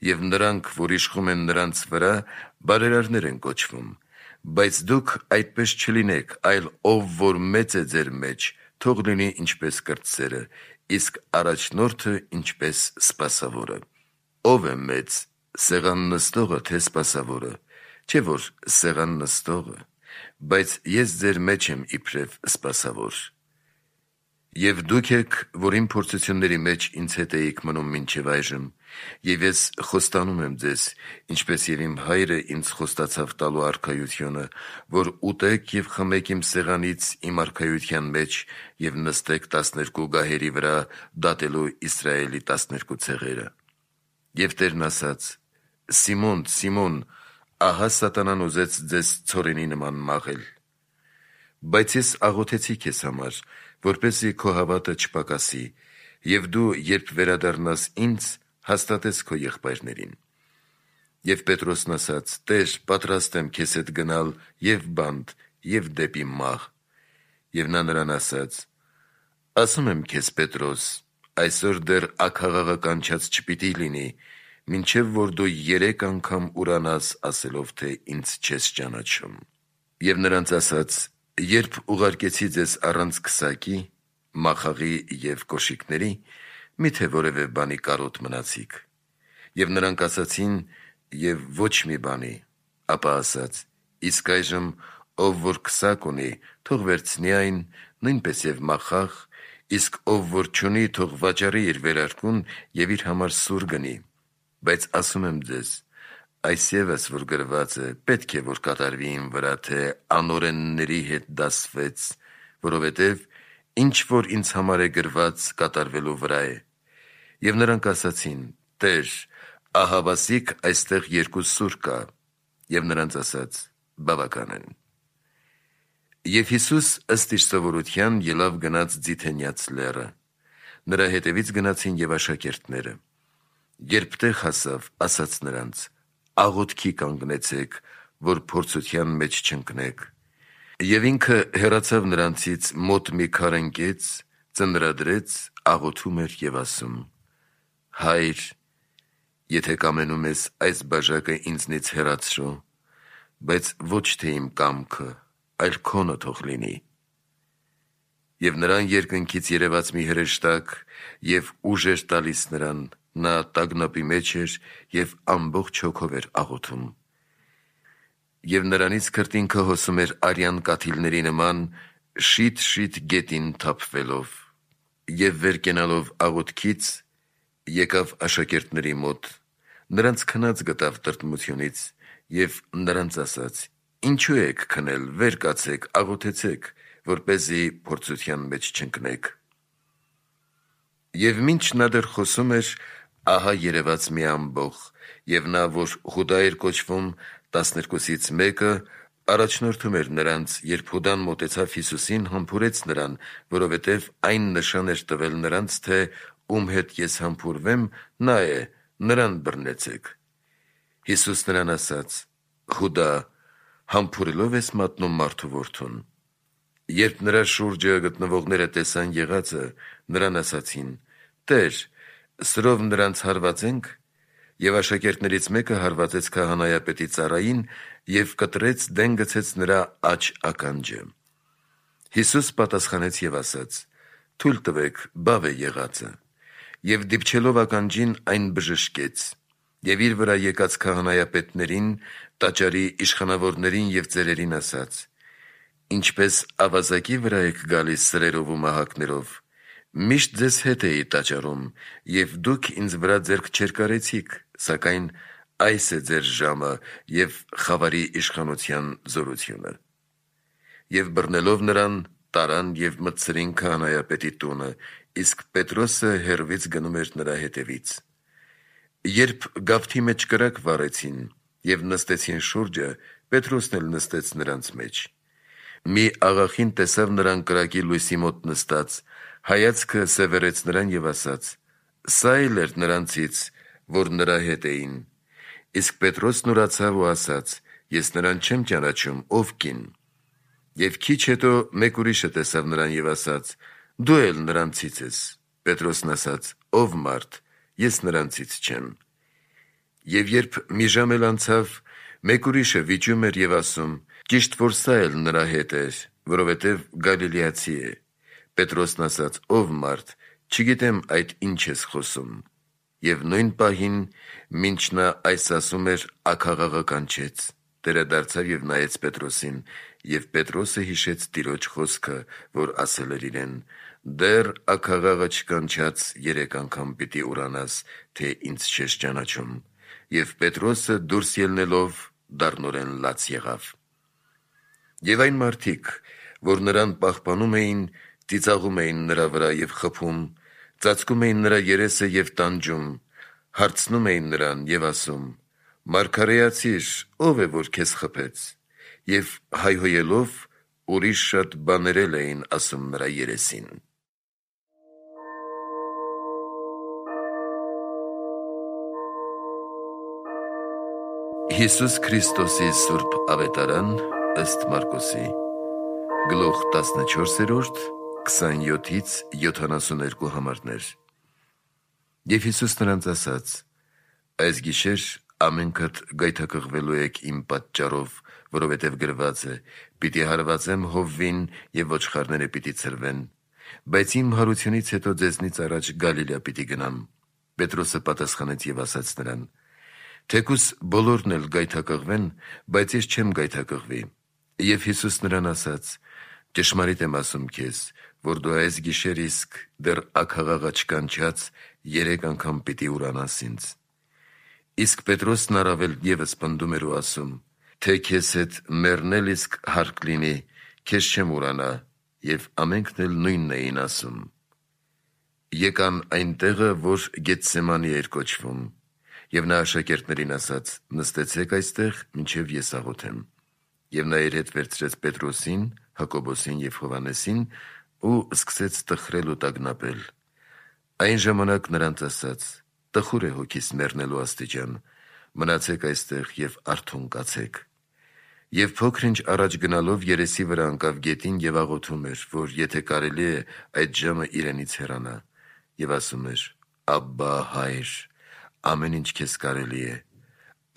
և նրանք, որ իշխում են նրանց վրա, բարերարներ են կոչվում, բայց դուք այդպես չլինեք, այլ ով որ մեծ է ձեր մեջ, թող լինի ինչպես կրտսերը, իսկ առաջնորդը ինչպես սպասավորը։ Ով է մեծ, սեղան նստողը, թե սպասավորը, չէ որ սեղան նստողը, բայց ես ձեր մեջ եմ իբրև սպասավոր։ Եվ դուք եք, որ իմ փորձությունների մեջ ինձ հետ էիք մնում մինչև այժմ, և ես խոստանում եմ ձեզ, ինչպես և իմ հայրը ինձ խոստացավ տալու արքայությունը, որ ուտեք և խմեք իմ սեղանից իմ արքայության մեջ և նստեք տասներկու գահերի վրա, դատելու Իսրայելի տասներկու ցեղերը։ Եվ Տերն ասաց. Սիմոն, Սիմոն, ահա սատանան ուզեց ձեզ ցորենի նման մաղել, բայց ես աղոթեցի քեզ համար, որպեսզի քո հավատը չպակասի, և դու, երբ վերադառնաս ինձ, հաստատես քո եղբայրներին։ Եվ Պետրոսն ասաց. Տեր, պատրաստ եմ քեզ հետ գնալ և բանտ, և դեպի մահ։ Եվ նա նրան ասաց. ասում եմ քեզ, Պետրոս, այսօր դեռ աքաղաղը կանչած չպիտի լինի, մինչև որ դու երեք անգամ ուրանաս, ասելով, թե ինձ չես ճանաչում։ Եվ նրանց ասաց. երբ ուղարկեցի ձեզ առանց քսակի, մախաղի և կոշիկների, մի՞թե որևէ բանի կարոտ մնացիք։ Եվ նրանք ասացին. և ոչ մի բանի։ Ապա ասաց. իսկ այժմ ով որ քսակ ունի, թող վերցնի այն, նույնպես և մախաղ, իսկ ով որ չունի, թող վաճառի իր վերարկուն և իր համար սուր գնի։ Բայց ասում եմ ձեզ. այս ևս որ գրված է, պետք է որ կատարվի իմ վրա, թե անօրենների հետ դասվեց, որովհետև ինչ որ ինձ համար է գրված, կատարվելու վրա է։ Եվ նրանք ասացին. Տեր, ահավասիկ այստեղ երկու սուր կա։ Եվ նրանց ասաց. բավական են։ Եվ Հիսուս ըստ իր սովորության ելավ գնաց Ձիթենյաց լեռը, նրա հետևից գնացին և աշակերտները։ Երբ տեղ հասավ, ասաց նրանց. աղոթքի կանգնեցեք, որ փորձության մեջ չընկնեք։ Եվ ինքը հեռացավ նրանցից մոտ մի քար ընկեց, ծնրադրեց, աղոթում էր և ասում. Հայր, եթե կամենում ես, այս բաժակը ինձնից հեռացրու, բայց ոչ թե իմ կամքը, այլ քոնը թող լինի։ Եվ նրան երկնքից երևաց մի հրեշտակ և ուժ էր տալիս նրան, նա տագնապի մեջ էր և ամբողջ հոգով էր աղոթում։ Եվ նրանից քրտինքը հոսում էր արյան կաթիլների նման, շիթ-շիթ գետին թափվելով։ Եվ վեր կենալով աղոթքից, եկավ աշակերտների մոտ, նրանց քնած գտավ տրտմությունից և նրանց ասաց. ինչու եք քնել, վեր կացեք, աղոթեցեք, որպեսզի փորձության մեջ չընկնեք։ Եվ մինչ նա դեռ խոսում էր, ահա երևաց մի ամբոխ, և նա, որ Հուդա էր կոչվում, տասներկուսից մեկը, առաջնորդում էր նրանց, երբ Հուդան մոտեցավ Հիսուսին, համբուրեց նրան, որովհետև այն նշան էր տվել նրանց, թե ում հետ ես համբուրվեմ, նա է, նրան բռնեցեք։ Հիսուս նրան ասաց. Հուդա, համբուրելով ես մատնում մարդու որդուն։ Երբ նրա շուրջը գտնվողները տեսան եղածը, նրան ասացին. Տեր, սրով նրանց հարվածե՞նք։ Եվ աշակերտներից մեկը հարվածեց քահանայապետի ծառային և կտրեց, դեն գցեց նրա աջ ականջը։ Հիսուս պատասխանեց և ասաց. թույլ տվեք, բավ է եղածը։ Եվ դիպչելով ականջին, այն բժշկեց։ Եվ իր վրա եկած քահանայապետներին, տաճարի իշխանավորներին և ծերերին ասաց. ինչպես ավազակի վրա եք գալիս սրերով ու մահակներով, միշտ ձեզ հետ էի տաճարում, և դուք ինձ վրա ձեռք չերկարեցիք, սակայն այս է ձեր ժամը և խավարի իշխանության զորությունը։ Եվ բռնելով նրան, տարան և մտցրին քահանայապետի տունը, իսկ Պետրոսը հեռվից գնում էր նրա հետևից։ Երբ գավթի մեջ կրակ վառեցին և նստեցին շուրջը, Պետրոսն էլ նստեց նրանց մեջ: Մի աղախին տեսավ նրան կրակի լույսի մոտ նստած, հայացքը սևեռեց նրան և ասաց. սա էլ էր նրանցից, որ նրա հետ էին: Իսկ Պետրոսն ուրացավ ու ասաց. ես նրան չեմ ճանաչում, ով կին: Եվ քիչ հետո մեկ ուրիշը տեսավ նրան և ասաց. դու էլ նրանցից ես: Պետրոսն ասաց. ով մարդ, ես նրանցից չեմ: Եվ երբ մի ժամ էլ անցավ, մեկ ուրիշը վիճում էր և ասում. ճիշտ որ սա էլ նրա հետ էր, որովհետև գալիլեացի է: Պետրոսն ասաց. ով մարդ, չգիտեմ այդ ինչ ես խոսում: Եվ նույն պահին, մինչ նա այս ասում էր, աքաղաղը կանչեց: Տերը դարձավ և նայեց Պետրոսին, և Պետրոսը հիշեց Տիրոջ խոսքը, որ ասել էր իրեն. դեռ աքաղաղը չկանչած երեք անգամ պիտի ուրանաս, թե ինձ չես ճանաչում: Եվ Պետրոսը դուրս ելնելով դառնորեն լաց եղավ: Եվ այն մարդիկ, որ նրան պահպանում էին, ծիծաղում էին նրա վրա և խփում, ծածկում էին նրա երեսը և տանջում, հարցնում էին նրան և ասում. «Մարգարեացի՛ր, ո՞վ է, որ քեզ խփեց»: Եվ հայհոյելով ուրիշ շատ բաներ էլ էին ասում նրա երեսին: Հիսուս Քրիստոսի սուրբ Ավետարան ըստ Մարկոսի Գլուխ տասնչորսերորդ, քսանյոթից յոթանասուներկու համարներ: Եվ Հիսուս նրանց ասաց. այս գիշեր ամենքդ գայթակղվելու եք իմ պատճառով, որովհետև գրված է. «Պիտի հարվածեմ հովվին, և ոչխարները պիտի ցրվեն»: Բայց իմ հարությունից հետո ձեզնից առաջ Գալիլյա պիտի գնամ: Պետրոսը պատասխանեց և ասաց նրան. թեկուզ բոլորն էլ գայթակղվեն, բայց ես չեմ գայթակղվի: Եվ Հիսուս նրան ասաց. ճշմարիտ եմ ասում քեզ, որ դու այս գիշեր իսկ դեռ աքաղաղը չկանչած երեք անգամ պիտի ուրանաս ինձ: Իսկ Պետրոսն առավել ևս պնդում էր ու ասում. թե քեզ հետ մեռնել իսկ հարկ լինի, քեզ չեմ ուրանա: Եվ ամենքն էլ նույնն էին ասում: Եկան այն տեղը, որ Գեթսեմանի էր կոչվում: Եվ նա աշակերտներին ասաց. նստեցեք այստեղ, մինչև ես աղոթեմ: Եվ նա իր հետ վերցրեց Պետրոսին, Հակոբոսին և Հովհաննեսին ու սկսեց տխրել ու տագնապել: Այն ժամանակ նրանց ասաց. տխուր է հոգիս մեռնելու աստիճան, մնացեք այստեղ և արթուն կացեք: Եվ փոքր ինչ առաջ գնալով երեսի վրա ընկավ գետին և աղոթում էր, որ եթե կարելի է, այդ ժամը իրենից հեռանա: Եվ ասում էր. «Աբբա՛, Հայր, ամեն ինչ քեզ կարելի է: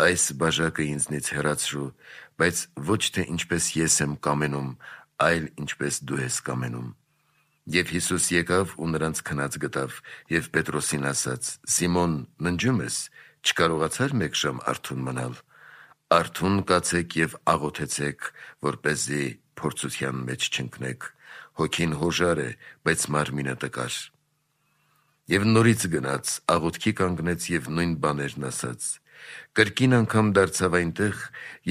Այս բաժակը ինձնից հեռացրու, բայց ոչ թե ինչպես ես եմ կամենում, այլ ինչպես դու ես կամենում»: Եվ Հիսուս եկավ ու նրանց քնած գտավ և Պետրոսին ասաց. «Սիմոն, ննջո՞ւմ ես, չկարողացա՞ր մեկ ժամ արթուն մնալ: Արթուն կացեք և աղոթեցեք, որպեսզի փորձության մեջ չընկնեք: Հոգին հոժար է, բայց մարմինը տկար»: Եվ նորից գնաց, աղոթքի կանգնեց և նույն բաներն ասաց: Կրկին անգամ դարձավ այնտեղ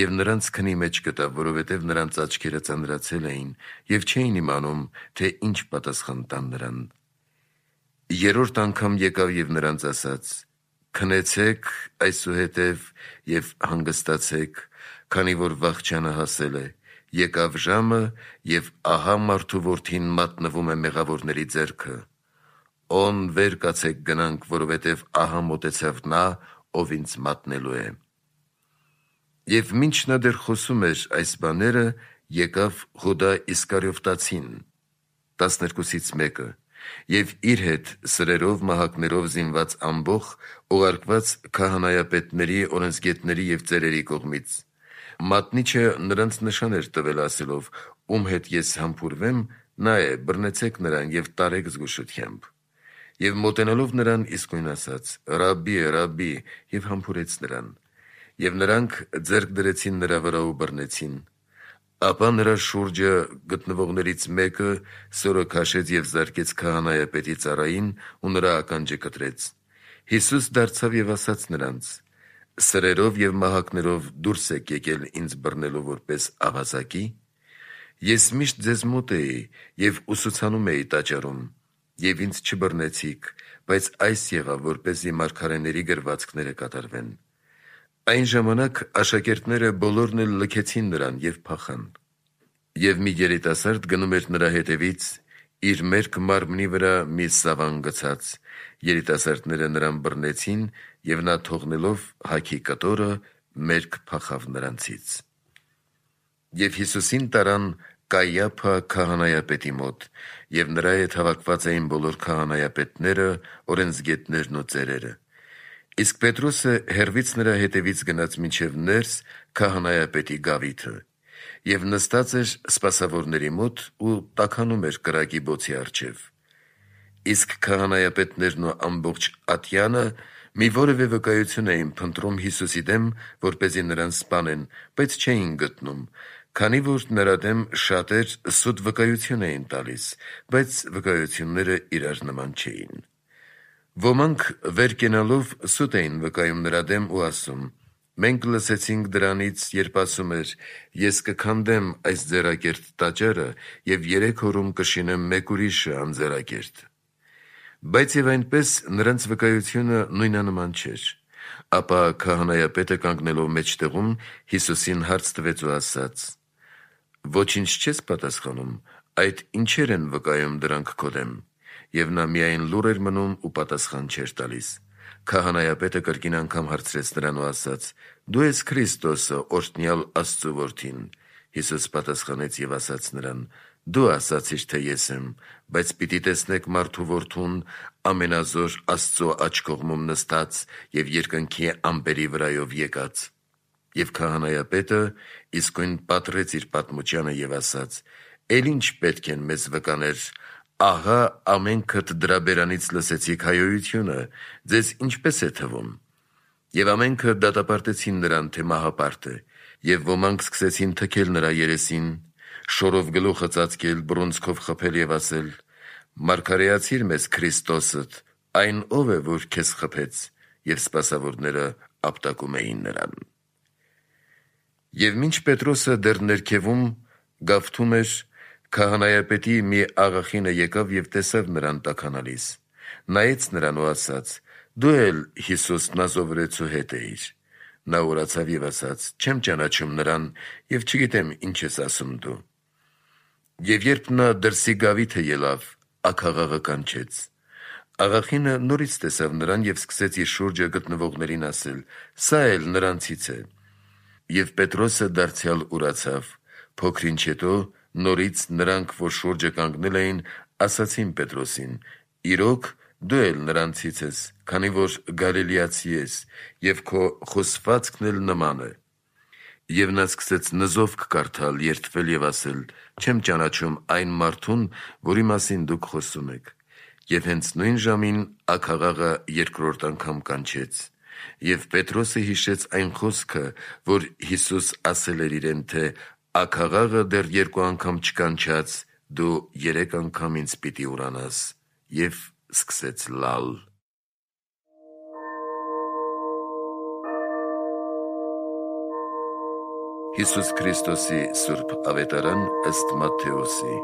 և նրանց քնի մեջ գտավ, որովհետև նրանց աչքերը ծանրացել էին և չէին իմանում, թե ինչ պատասխան տան նրան: Երրորդ անգամ եկավ և նրանց ասաց. «Քնեցեք այսուհետև և հանգստացեք, քանի որ վախճանը հասել է: Եկավ ժամը, և ահա մարդու Որդին մատնվում է մեղավորների ձեռքը: Օն վեր կացեք գնանք, որովհետև ահա մոտեցավ նա, ով ինձ մատնելու է»: Եվ մինչ նա դեռ խոսում էր այս բաները, եկավ Հուդա Իսկարիովտացին, տասներկուսից մեկը, և իր հետ սրերով մահակներով զինված ամբոխ, ուղարկված քահանայապետների, օրենսգետների և ծերերի կողմից: Մատնիչը նրանց նշան էր տվել, ասելով. «Ում հետ ես համբուրվեմ, նա է, բռնեցեք նրան և տարեք զգուշությամբ»: Եվ մոտենալով նրան իսկույն ասաց. «Ռաբբի է, Ռաբբի», և համբուրեց նրան: Եվ նրանք ձեռք դրեցին նրա վրա ու բռնեցին: Ապա նրա շուրջը գտնվողներից մեկը սորը քաշեց և զարկեց քահանայապետի ծառային ու նրա ականջը կտրեց: Հիսուս դարձավ և ասաց նրանց. «Սրերով և մահակներով դուրս եք եկել ինձ բռնելու որպես ավազակի՞: Ես միշտ ձեզ մոտ էի և ուսուցանում էի տաճարում, և ինձ չբռնեցիք, բայց այս եղավ, որպեսզի մարգարեների գրվածքները կատարվեն։ Այն ժամանակ աշակերտները բոլորն էլ լքեցին նրան և փախան։ Եվ մի երիտասարդ գնում էր նրա հետևից, իր մերկ մարմնի վրա մի սավան գցած, երիտասարդները նրան բռնեցին, և նա թողնելով հագի կտորը, մերկ փախավ նրանցից։ Եվ Հիսուսին տարան Կայափա քահանայապետի մոտ, և նրա հետ հավաքված էին բոլոր քահանայապետները, օրենսգետներն ու ծերերը։ Իսկ Պետրոսը հեռվից նրա հետևից գնաց մինչև ներս քահանայապետի գավիթը, և նստած էր սպասավորների մոտ ու տաքանում էր կրակի բոցի առջև։ Իսկ քահանայապետներն ու ամբողջ ատյանը մի որևէ վկայություն էին փնտրում Հիսուսի դեմ, որպեսզի նրան սպանեն, բայց չէին գտնում, քանի որ նրա դեմ շատեր սուտ վկայություն էին տալիս, բայց վկայությունները իրար նման չէին։ Ոմանք վեր կենալով սուտ էին վկայում նրա դեմ ու ասում. «Մենք լսեցինք դրանից, երբ ասում էր. ես կքանդեմ այս ձեռակերտ տաճարը և երեք օրում կշինեմ մեկ ուրիշը անձեռակերտ»։ Բայց և այնպես նրանց վկայությունը նույնանման չէր։ Ապա քահանայապետը կանգնելով մեջտեղում Հիսուսին հարց տվեց ու ասաց. «Ոչինչ չես պատասխանում, այդ ինչեր են վկայում դրանք քո դեմ»։ Եվ նա միայն լուռ էր մնում ու պատասխան չէր տալիս։ Քահանայապետը կրկին անգամ հարցրեց նրան ու ասաց. «Դու ես Քրիստոսը, օրհնյալ Աստծու Որդին»։ Հիսուս պատասխանեց և ասաց նրան. «Դու ասացիր, թե ես եմ, բայց պիտի տեսնեք մարդու Որդուն ամենազոր Աստծու աջ կողմում նստած և երկնքի ամպերի վրայով եկած»։ Եվ քահանայապետը իսկույն պատռեց իր պատմությանը և ասաց. «Էլ ինչ պետք են մեզ վկաներ, ահա ամենքդ դրա բերանից լսեցիք հայհոյությունը, ձեզ ինչպե՞ս է թվում»։ Եվ ամենքը դատապարտեցին նրան, թե մահապարտ է, և ոմանք սկսեցին թքել նրա երեսին, շորով գլուխը ծածկել, բռունցքով խփել և ասել. «Մարգարեացի՛ր մեզ Քրիստոսդ, այն ո՞վ է, որ քեզ խփեց»։ Եվ սպասավորները ապտակում էին նրան։ Եվ մինչ Պետրոսը դեռ ներքևում գավթում էր, քահանայապետի մի աղախինը եկավ և տեսավ նրան տաքանալիս, նայեց նրան ու ասաց. «Դու էլ Հիսուս Նազովրեցու հետ էիր»։ Նա ուրացավ և ասաց. «Չեմ ճանաչում նրան և չգիտեմ ինչ ես ասում դու»։ Եվ երբ նա դրսի գավիթը ելավ, աքաղաղը կանչեց։ Աղախինը նորից տեսավ նրան և սկսեց իր շուրջը գտնվողներին ասել. «Սա էլ նրանցից է»։ Եվ Պետրոսը դարձյալ ուրացավ։ Փոքր-ինչ հետո նորից նրանք, որ շուրջը կանգնել էին, ասացին Պետրոսին. «Իրոք, դու էլ նրանցից ես, քանի որ գալիլեացի ես, և քո խոսվածքն էլ նման է»։ Եվ նա սկսեց նզովք կարդալ, երդվել և ասել. «Չեմ ճանաչում այն մարդուն, որի մասին դուք խոսում եք»։ Եվ հենց նույն ժամին աքաղաղը երկրորդ անգամ կանչեց։ Եվ Պետրոսը հիշեց այն խոսքը, որ Հիսուս ասել էր իրեն, թե «Աքաղաղը դեռ երկու անգամ չկանչած, դու երեք անգամ ինձ պիտի ուրանաս»։ Եվ սկսեց լալ։ Հիսուս Քրիստոսի սուրբ ավետարան ըստ Մատթեոսի,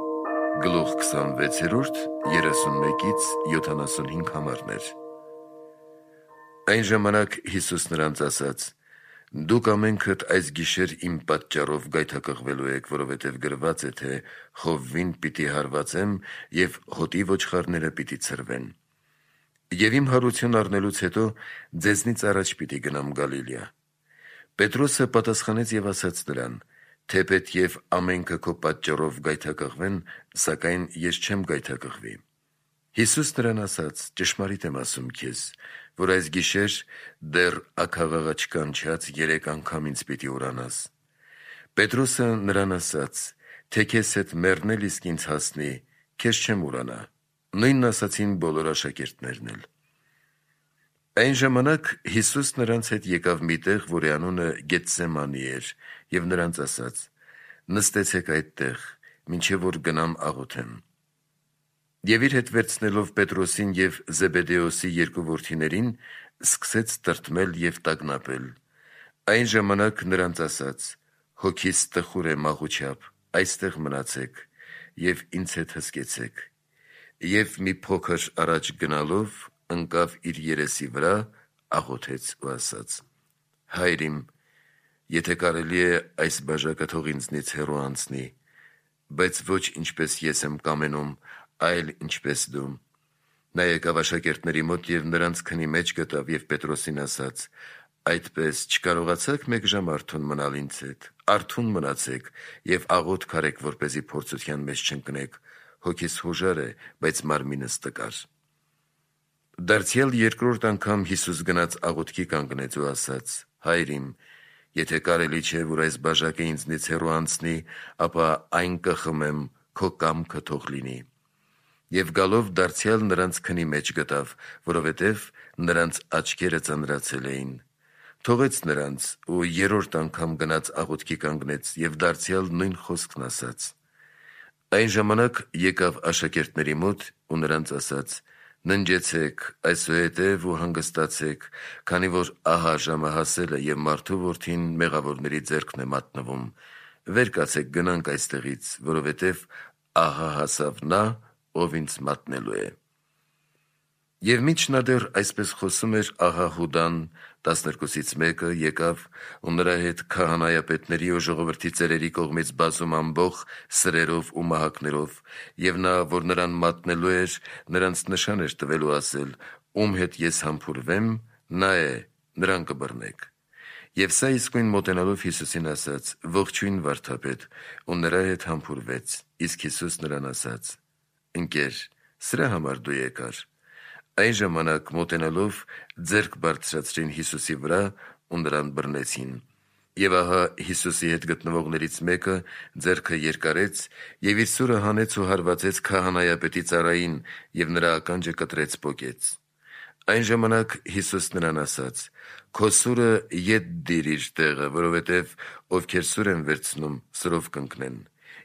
գլուխ քսանվեցերորդ, երեսունմեկից յոթանասունհինգ համարներ։ Այն ժամանակ Հիսուս նրանց ասաց. «Դուք ամենքդ այս գիշեր իմ պատճառով գայթակղվելու եք, որովհետև գրված է, թե խովվին պիտի հարվածեմ, և հոտի ոչխարները պիտի ցրվեն։ Եվ իմ հարություն առնելուց հետո ձեզնից առաջ պիտի գնամ Գալիլեա»։ Պետրոսը պատասխանեց և ասաց նրան. «Թեպետ և ամենքը քո պատճառով գայթակղվեն, սակայն ես չեմ գայթակղվի»։ Հիսուս նրան ասաց. «Ճշմարիտ եմ ասում քեզ, որ այս գիշեր դեռ աքաղաղը չկանչած երեք անգամ ինձ պիտի ուրանաս»։ Պետրոսը նրան ասաց. «Թե քեզ հետ մեռնել իսկ ինձ հասնի, քեզ չեմ ուրանա»։ Նույնն ասացին բոլոր աշակերտներն էլ։ Այն ժամանակ Հիսուս նրանց հետ եկավ մի տեղ, որի անունը Գեթսեմանի էր, և նրանց ասաց. «Նստեցեք այդտեղ, մինչև որ գնամ աղոթեմ»։ Եվ իր հետ վերցնելով Պետրոսին և Զեբեդեոսի երկու որդիներին, սկսեց տրտմել և տագնապել։ Այն ժամանակ նրանց ասաց. «Հոգիս տխուր է մաղուչապ, այստեղ մնացեք և ինձ հետ հսկեցեք»։ Եվ մի փոքր առաջ գնալով ընկավ իր երեսի վրա, աղոթեց ու ասաց. «Հայր իմ, եթե կարելի է, այս բաժակը թող ինձնից հեռու անցնի, բայց ոչ ինչպես ես եմ կամենում, այլ ինչպես դու»։ Նա եկավ աշակերտների մոտ և նրանց քնի մեջ գտավ և Պետրոսին ասաց. «Այդպես չկարողացաք մեկ ժամ արթուն մնալ ինձ հետ, արթուն մնացեք և աղոթք արեք, որպեսզի փորձության մեջ չընկնեք, հոգիս հոժար է, բայց մարմինս տկար»։ Դարձյալ երկրորդ անգամ Հիսուս գնաց աղոթքի կանգնեց ու ասաց. «Հայր իմ, եթե կարելի չէ, որ այս բաժակը ինձնից հեռու անցնի, ապա այն կխմեմ, քո կամքը թող լինի»։ Եվ գալով դարձյալ նրանց քնի մեջ գտավ, որովհետև նրանց աչքերը ծանրացել էին։ Թողեց նրանց ու երրորդ անգամ գնաց աղոթքի կանգնեց և դարձյալ նույն խոսքն ասաց։ Այն ժամանակ եկավ աշակերտների մոտ ու նրանց ասաց. «Ննջեցեք այսուհետև ու հանգստացեք, քանի որ ահա ժամը հասել է և մարդու որդին մեղավորների ձեռքն է մատնվում։ Վեր կացեք գնանք այստեղից, որովհետև ահա հասավ նա, ով ինձ մատնելու է»։ Եվ մինչ նա դեռ այսպես խոսում էր, ահա Հուդան, տասներկուսից մեկը, եկավ ու նրա հետ քահանայապետների ու ժողովրդի ծերերի կողմից բազում ամբոխ սրերով ու մահակներով, և նա, որ նրան մատնելու էր, նրանց նշան էր տվել ու ասել. «Ում հետ ես համբուրվեմ, նա է, նրան կբռնեք»։ Եվ սա իսկույն մոտենալով Հիսուսին ասաց. «Ողջույն, վարդապետ», ու նրա հետ համբուրվեց։ Իսկ Հիսուս նրան ասաց. «Ընկեր, սրա համար դու եկար»։ Այն ժամանակ մոտենալով ձեռք բարձրացրին Հիսուսի վրա ու նրան բռնեցին։ Եվ ահա Հիսուսի հետ գտնվողներից մեկը ձեռքը երկարեց և իր սուրը հանեց ու հարվածեց քահանայապետի ծառային և նրա ականջը կտրեց պոկեց։ Այն ժամանակ Հիսուս նրան ասաց. «Քո սուրը ետ դիր իր տեղը, որովհետև ովքեր սուր են վերցնում, սրով կընկնեն։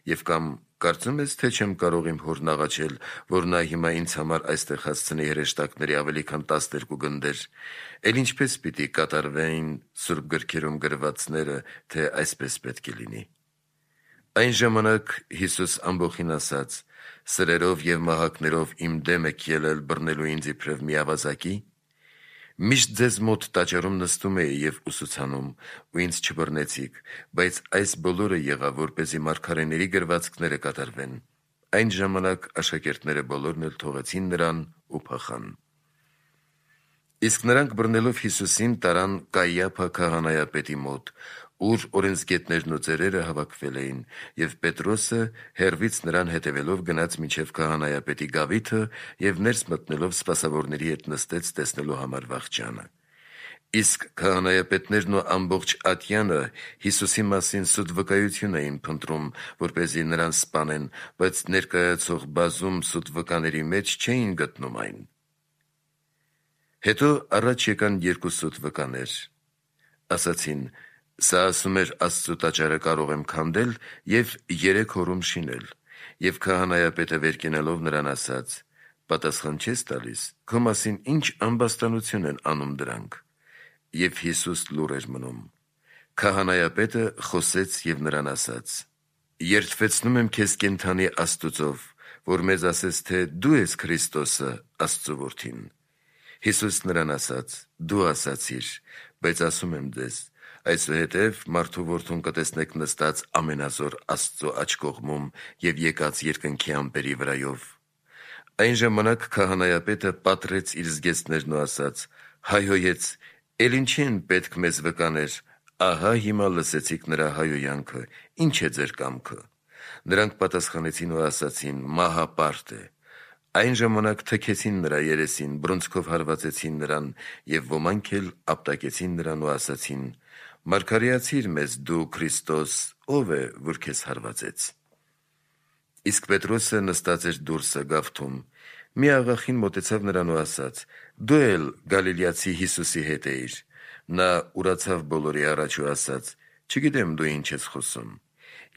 Եվ կամ կարծում ես, թե չեմ կարող իմ Հորն աղաչել, որ նա հիմա ինձ համար այստեղ հասցնի հրեշտակների ավելի քան տասներկու գնդեր։ Էլ ինչպե՞ս պիտի կատարվեին սուրբ գրքերում գրվածները, թե այսպես պետք է լինի»։ Այն ժամանակ Հիսուս ամբոխին ասաց. «Սրերով և մահակներով իմ դեմ եք ելել բռնելու ինձ իբրև մի ավազակի։ Միշտ ձեզ մոտ տաճարում նստում էի և ուսուցանում, ու ինձ չբռնեցիք, բայց այս բոլորը եղավ, որպեսզի մարգարեների գրվածքները կատարվեն»։ Այն ժամանակ աշակերտները բոլորն էլ թողեցին նրան ու փախան։ Իսկ նրանք բռնելով Հիսուսին տարան Կայիափա քահանայապետի մոտ, ուր օրենսգետներն ու ծերերը հավաքվել էին, և Պետրոսը հեռվից նրան հետևելով գնաց մինչև քահանայապետի գավիթը և ներս մտնելով սպասավորների հետ նստեց տեսնելու համար վախճանը։ Իսկ քահանայապետներն ու ամբողջ ատյանը Հիսուսի մասին սուտ վկայություն էին փնտրում, որպեսզի նրան սպանեն, բայց ներկայացող բազում սուտ վկաների մեջ չէին գտնում այն։ Հետո առաջ եկան երկու սուտ վկաներ։ Ասացին. «Սա ասում էր Աստծու տաճարը կարող եմ քանդել և երեք օրում շինել»։ Եվ քահանայապետը վեր կենալով նրան ասաց. «Պատասխան չես տալիս, քո մասին ինչ ամբաստանություն են անում դրանք»։ Եվ Հիսուս լուռ էր մնում։ Քահանայապետը խոսեց և նրան ասաց. «Երդվեցնում եմ քեզ կենդանի Աստուծով, որ մեզ ասես, թե դու ես Քրիստոսը, Աստծու Որդին»։ Հիսուս նրան ասաց. «Դու ասացիր, բայց ասում եմ ձեզ. այսուհետև մարդու որդուն կտեսնեք նստած ամենազոր Աստծու աջ կողմում և եկած երկնքի ամպերի վրայով»։ Այն ժամանակ քահանայապետը պատռեց իր զգեստներն ու ասաց. «Հայհոյեց. էլ ինչի են պետք մեզ վկաներ, ահա հիմա լսեցիք նրա հայհոյանքը, ի՞նչ է ձեր կամքը»։ Նրանք պատասխանեցին ու ասացին. «Մահապարտ է»։ Այն ժամանակ թքեցին նրա երեսին, բռունցքով հարվածեցին նրան և ոմանք էլ ապտակեցին նրան ու ասացին. «Մարգարեացի՛ր մեզ դու, Քրիստոս, ո՞վ է, որ քեզ հարվածեց»։ Իսկ Պետրոսը նստած էր դուրսը գավթում։ Մի աղախին մոտեցավ նրան ու ասաց. «Դու էլ Գալիլեացի Հիսուսի հետ էիր»։ Նա ուրացավ բոլորի առաջ ու ասաց. «Չգիտեմ դու ինչ ես խոսում»։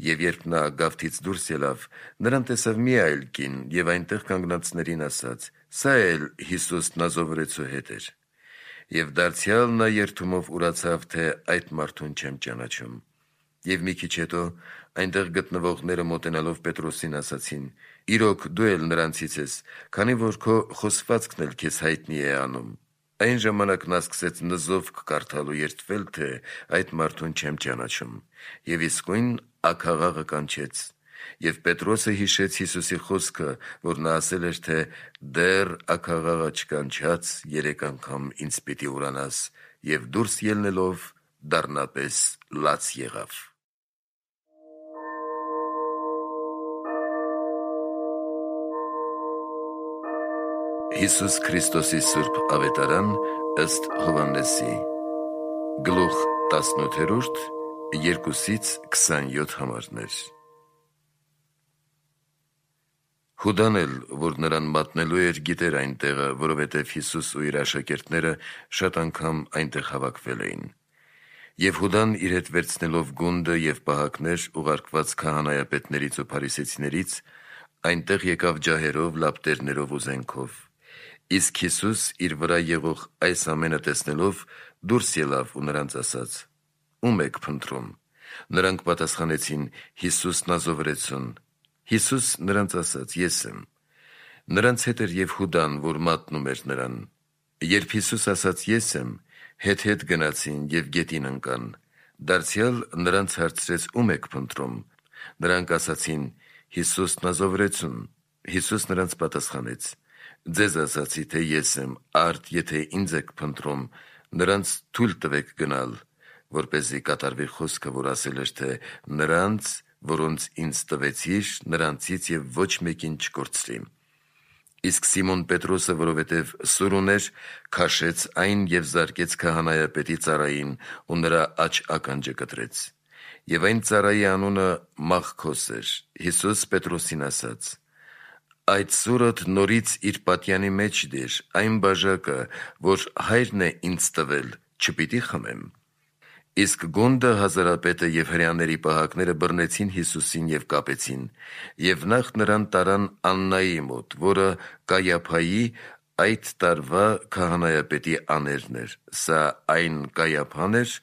Եվ երբ նա գավթից դուրս ելավ, նրան տեսավ մի այլ կին և այնտեղ կանգնածներին ասաց. «Սա էլ Հիսուս Նազովրեցու հետ էր»։ Եվ դարձյալ նա երդումով ուրացավ, թե այդ մարդուն չեմ ճանաչում։ Եվ մի քիչ հետո այնտեղ գտնվողները մոտենալով Պետրոսին ասացին. «Իրոք դու էլ նրանցից ես, քանի որ քո խոսվածքն էլ քեզ հայտնի է անում»։ Այն ժամանակ նա սկսեց նզովք կարդալ ու երդվել, թե այդ մարդուն չեմ ճանաչում, եւ իսկույն աքաղաղը կանչեց։ Եվ Պետրոսը հիշեց Հիսուսի խոսքը, որ նա ասել էր, թե «Դեռ աքաղաղը չկանչած երեք անգամ ինձ պիտի ուրանաս», եւ դուրս ելնելով դառնապես լաց եղավ։ Հիսուս Քրիստոսի Սուրբ Ավետարան ըստ Հովհաննեսի Գլուխ տասնութ, երկուսից քսանյոթ համարներ։ Հուդան էլ, որ նրան մատնելու էր, գիտեր այն տեղը, որովհետև Հիսուս ու իր աշակերտները շատ անգամ այնտեղ հավաքվել էին։ Եվ Հուդան իր հետ վերցնելով գունդը և պահակներ ուղարկված քահանայապետներից ու փարիսեցիներից, այնտեղ եկավ ջահերով, լապտերներով ու զենքով։ Իսկ Հիսուս իր վրա եղող այս ամենը տեսնելով դուրս ելավ ու նրանց ասաց. «Ո՞ւմ եք փնտրում»։ Նրանք պատասխանեցին. «Հիսուս Նազովրեցուն»։ Հիսուս նրանց ասաց. «Ես եմ»։ Նրանց հետ էր և Հուդան, որ մատնում էր նրան։ Երբ Հիսուս ասաց. «Ես եմ», հետ-հետ գնացին և գետին ընկան։ Դարձյալ նրանց հարցրեց. «Ո՞ւմ եք փնտրում»։ Նրանք ասացին. «Հիսուս Նազովրեցուն»։ Հիսուս նրանց պատասխանեց. «Ձեզ ասացի, թե ես եմ, արդ եթե ինձ եք փնտրում, նրանց թույլ տվեք գնալ, որպեսզի կատարվի խոսքը, որ ասել էր, թե նրանց, որոնց ինձ տվեցիր, նրանցից և ոչ մեկին չկորցրի»։ Իսկ Սիմոն Պետրոսը, որովհետև սուր ուներ, քաշեց այն և զարկեց քահանայապետի ծառային ու նրա աջ ականջը կտրեց։ Եվ այն ծառայի անունը Մաղքոս էր։ Հիսուս Պետրոսին ասաց. «Այդ սուրդ նորից իր պատյանի մեջ դիր, այն բաժակը, որ Հայրն է ինձ տվել, չպիտի խմեմ»։ Իսկ գունդը, հազարապետը և հրեաների պահակները բռնեցին Հիսուսին և կապեցին, և նախ նրան տարան Աննայի մոտ, որը Կայափայի, այդ տարվա քահանայապետի աներն էր։ Սա այն Կայափան էր,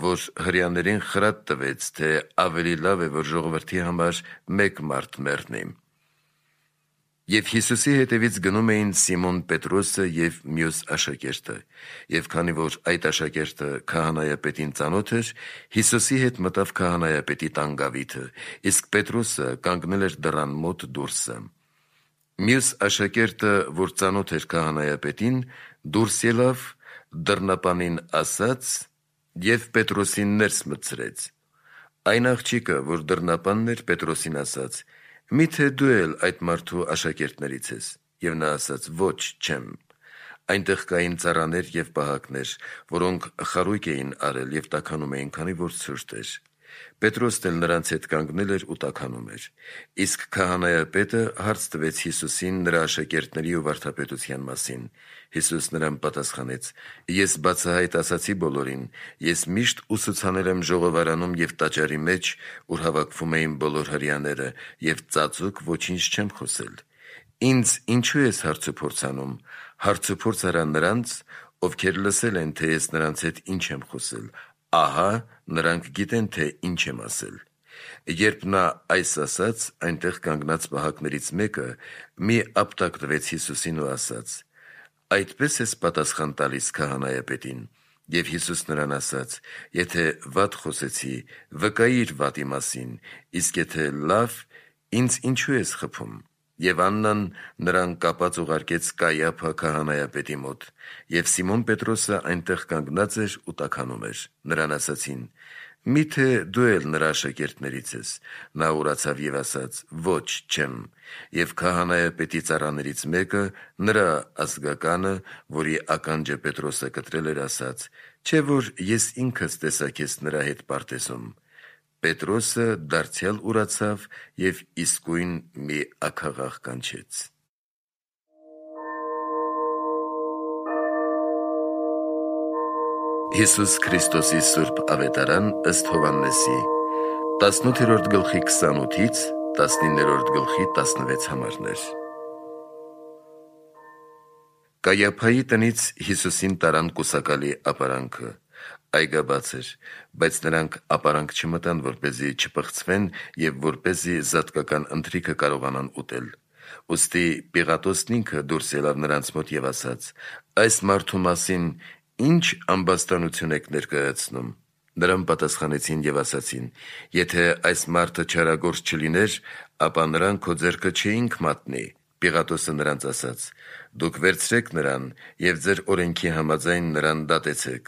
որ հրեաներին խրատ տվեց, թե ավելի լավ է, որ ժողովրդի համար մեկ մարդ մեռնի։ Եվ Հիսուսի հետևից գնում էին Սիմոն Պետրոսը և մյուս աշակերտը։ Եվ քանի որ այդ աշակերտը քահանայապետին ծանոթ էր, Հիսուսի հետ մտավ քահանայապետի տան գավիթը, իսկ Պետրոսը կանգնել էր դռան մոտ դուրսը։ Մյուս աշակերտը, որ ծանոթ էր քահանայապետին, դուրս ելավ, դռնապանին ասաց և Պետրոսին ներս մտցրեց։ Այն աղջիկը, որ դռնապանն էր, Պետրոսին ասաց. «Մի՞թե դու էլ այդ մարդու աշակերտներից ես»։ Եվ նա ասաց. «Ոչ, չեմ»։ Այնտեղ կային ծառաներ և պահակներ, որոնք խարույկ էին արել և տաքանում էին, քանի որ ցուրտ էր։ Պետրոսն էլ նրանց հետ կանգնել էր ու տաքանում էր։ Իսկ քահանայապետը հարց տվեց Հիսուսին նրա աշակերտների ու վարդապետության մասին։ Հիսուս նրան պատասխանեց. «Ես բացահայտ ասացի բոլորին, ես միշտ ուսուցանել եմ ժողովարանում և տաճարի մեջ, ուր հավաքվում էին բոլոր հրեաները, և ծածուկ ոչինչ չեմ խոսել։ Ինձ ինչո՞ւ ես հարցուփորձ անում։ Հարցուփորձ արա նրանց, ովքեր լսել են, թե ես նրանց հետ ինչ եմ խոսել, ահա նրանք գիտեն, թե ինչ եմ ասել»։ Երբ նա այս ասաց, այնտեղ կանգնած պահակներից մեկը մի ապտակ տվեց Հիսուսին ու ասաց. «Այդպե՞ս ես պատասխան տալիս քահանայապետին»։ Եվ Հիսուս նրան ասաց. «Եթե վատ խոսեցի, վկայիր վատի մասին, իսկ եթե լավ, ինձ ինչո՞ւ ես խփում»։ Եվ Աննան նրան կապած ուղարկեց Կայափա քահանայապետի մոտ։ Եվ Սիմոն Պետրոսը այնտեղ կանգնած էր ու տաքանում էր։ Նրան ասացին. «Մի՞թե դու էլ նրա աշակերտներից ես»։ Նա ուրացավ և ասաց. «Ոչ, չեմ»։ Եվ քահանայապետի ծառաներից մեկը, նրա ազգականը, որի ականջը Պետրոսը կտրել էր, ասաց. «Չէ՞ որ ես ինքս տեսա քեզ նրա հետ պարտեզում»։ Պետրոսը դարձյալ ուրացավ և իսկույն մի աքաղաղ կանչեց։ Հիսուս Քրիստոսի Սուրբ Ավետարան ըստ Հովհաննեսի տասնութերորդ գլխի քսանութից տասնիններորդ գլխի տասնվեց համարներ։ Կայափայի տնից Հիսուսին տարան կուսակալի ապարանքը։ այգաբաց էր, բայց նրանք ապարանք չմտան, որպեսզի չփխցվեն եւ որպեսզի զատկական ընթրիքը կարողանան ուտել։ Ուստի Պիղատոսն ինքը դուրս ելավ նրանց մոտ եւ ասաց. «Այս մարդու մասին ինչ ամբաստանություն եք ներկայացնում»։ Նրան պատասխանեցին եւ ասացին. «Եթե այս մարդը չարագործ չլիներ, ապա նրան քո ձեռքը չէինք մատնի»։ Պիղատոսը նրանց ասաց. «Դուք վերցրեք նրան եւ ձեր օրենքի համաձայն նրան դատեցեք»։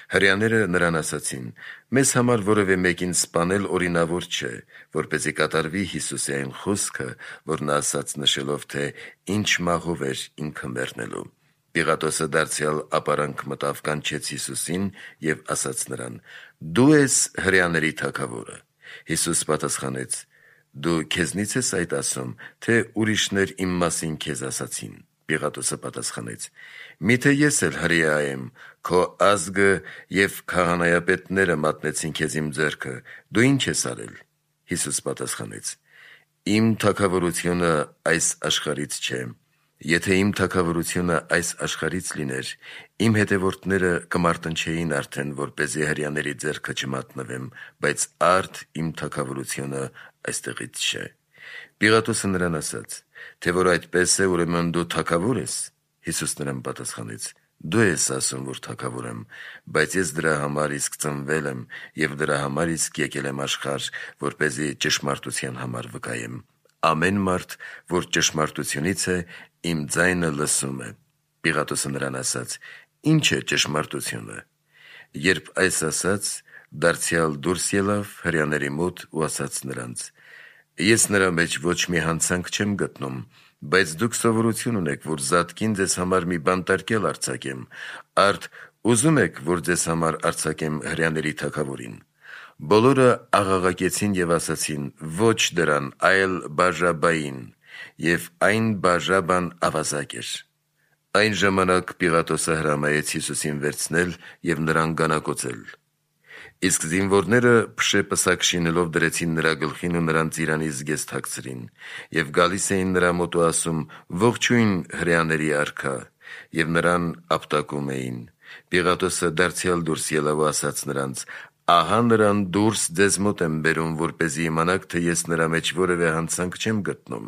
Հրեաները նրան ասացին. «Մեզ համար որևէ մեկին սպանել օրինավոր չէ, որպեսզի կատարվի Հիսուսի այն խոսքը, որ նա ասաց նշելով, թե ինչ մահով էր ինքը մեռնելու»։ Պիղատոսը դարձյալ ապարանք մտավ, կանչեց Հիսուսին եւ ասաց նրան. «Դու ես հրեաների թագավորը»։ Հիսուս պատասխանեց. «Դու քեզնից ես այդ ասում, թե ուրիշներ իմ մասին քեզ ասացին»։ Պիղատոսը պատասխանեց. «Միթե ես էլ հրեա եմ, քո ազգը եւ քահանայապետները մատնեցին քեզ իմ ձեռքը, դու ինչ ես արել»։ Հիսուս պատասխանեց. «Իմ թագավորությունը այս աշխարհից չէ։ Եթե իմ թագավորությունը այս աշխարհից լիներ, իմ հետևորդները կմարտնչեին արդեն, որպեսզի հրեաների ձեռքը չմատնվեմ, բայց արդ իմ թագավորությունը այստեղից չէ»։ Պիղատոսը նրան ասաց. «Թե որ այդպես է, ուրեմն դու թագավոր ես»։ Հիսուս նրան պատասխանեց. «Դու ես ասում, որ թագավոր եմ, բայց ես դրա համար իսկ ծնվել եմ եւ դրա համար իսկ եկել եմ աշխարհ, որպեսզի ճշմարտության համար վկայեմ։ Ամեն մարդ, որ ճշմարտությունից է, իմ ձայնը լսում է»։ Պիղատոսը նրան ասաց. «Ինչ է ճշմարտությունը»։ Երբ այս ասաց, դարձյալ դուրս ելավ հրեաների մոտ ու ասաց նրանց. «Ես նրա մեջ ոչ մի հանցանք չեմ գտնում, բայց դուք սովորություն ունեք, որ զատկին ձեզ համար մի բանտարկել արձակեմ, արդ ուզում եք, որ ձեզ համար արձակեմ հրեաների թագավորին»։ Բոլորը աղաղակեցին եւ ասացին. «Ոչ դրան, այլ Բաժաբային»։ Եվ այն Բաժաբան ավազակ էր։ Այն ժամանակ Պիղատոսը հրամայեց Հիսուսին վերցնել եւ նրան գանակոծել։ Իսկ զինվորները փշե պսակ շինելով դրեցին նրա գլխին ու նրան ծիրանի զգեստ հագցրին եւ գալիս էին նրա մոտ ու ասում. «Ողջույն հրեաների արքա», եւ նրան ապտակում էին։ Պիղատոսը դարձյալ դուրս ելավ ու ասաց նրանց. «Ահա նրան դուրս ձեզ մոտ եմ բերում, որպեսզի իմանաք, թե ես նրա մեջ որևէ հանցանք չեմ գտնում»։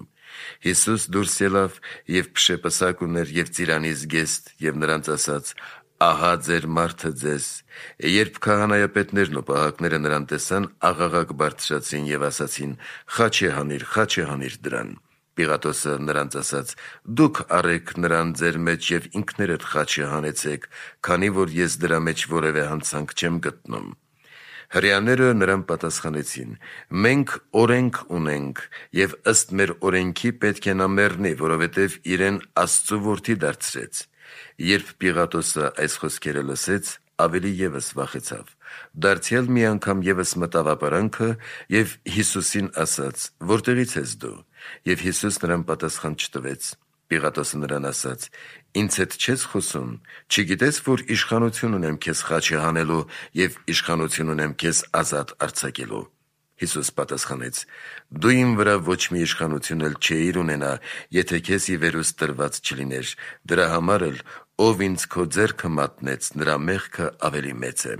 Հիսուս դուրս ելավ եւ փշե պսակ ուներ եւ ծիրանի զգեստ եւ նրանց ասաց. «Ահա ձեր մարդը ձեզ»։ Երբ քահանայապետներն ու պահակները նրան տեսան, աղաղակ բարձրացրին եւ ասացին. «Խաչե հանիր, խաչե հանիր դրան»։ Պիղատոսը նրանց ասաց. «Դուք առեք նրան ձեր մեջ եւ ինքներդ խաչը հանեցեք, քանի որ ես դրա մեջ որևէ հանցանք չեմ գտնում»։ Հրեաները նրան պատասխանեցին. «Մենք օրենք ունենք եւ ըստ մեր օրենքի պետք է նա մեռնի, որովհետեւ իրեն Աստծու որդի դարձրեց»։ Երբ Պիղատոսը այս խոսքերը լսեց, ավելի եւս վախեցավ։ Դարձյալ մի անգամ եւս մտավ ապարանքը եւ Հիսուսին ասաց. «Որտեղից ես դու»։ Եվ Հիսուս նրան պատասխան չտվեց։ Պիղատոսը նրան ասաց. «Ինձ հետ չես խոսում, չգիտես, որ իշխանություն ունեմ քեզ խաչը հանելու եւ իշխանություն ունեմ քեզ ազատ արձակելու»։ Հիսուս պատասխանեց. «Դու իմ վրա ոչ մի իշխանություն էլ չէիր ունենա, եթե քեզ ի վերուստ տրված չլիներ, դրա համար էլ ով ինձ քո ձեռքը մատնեց, նրա մեղքը ավելի մեծ է»։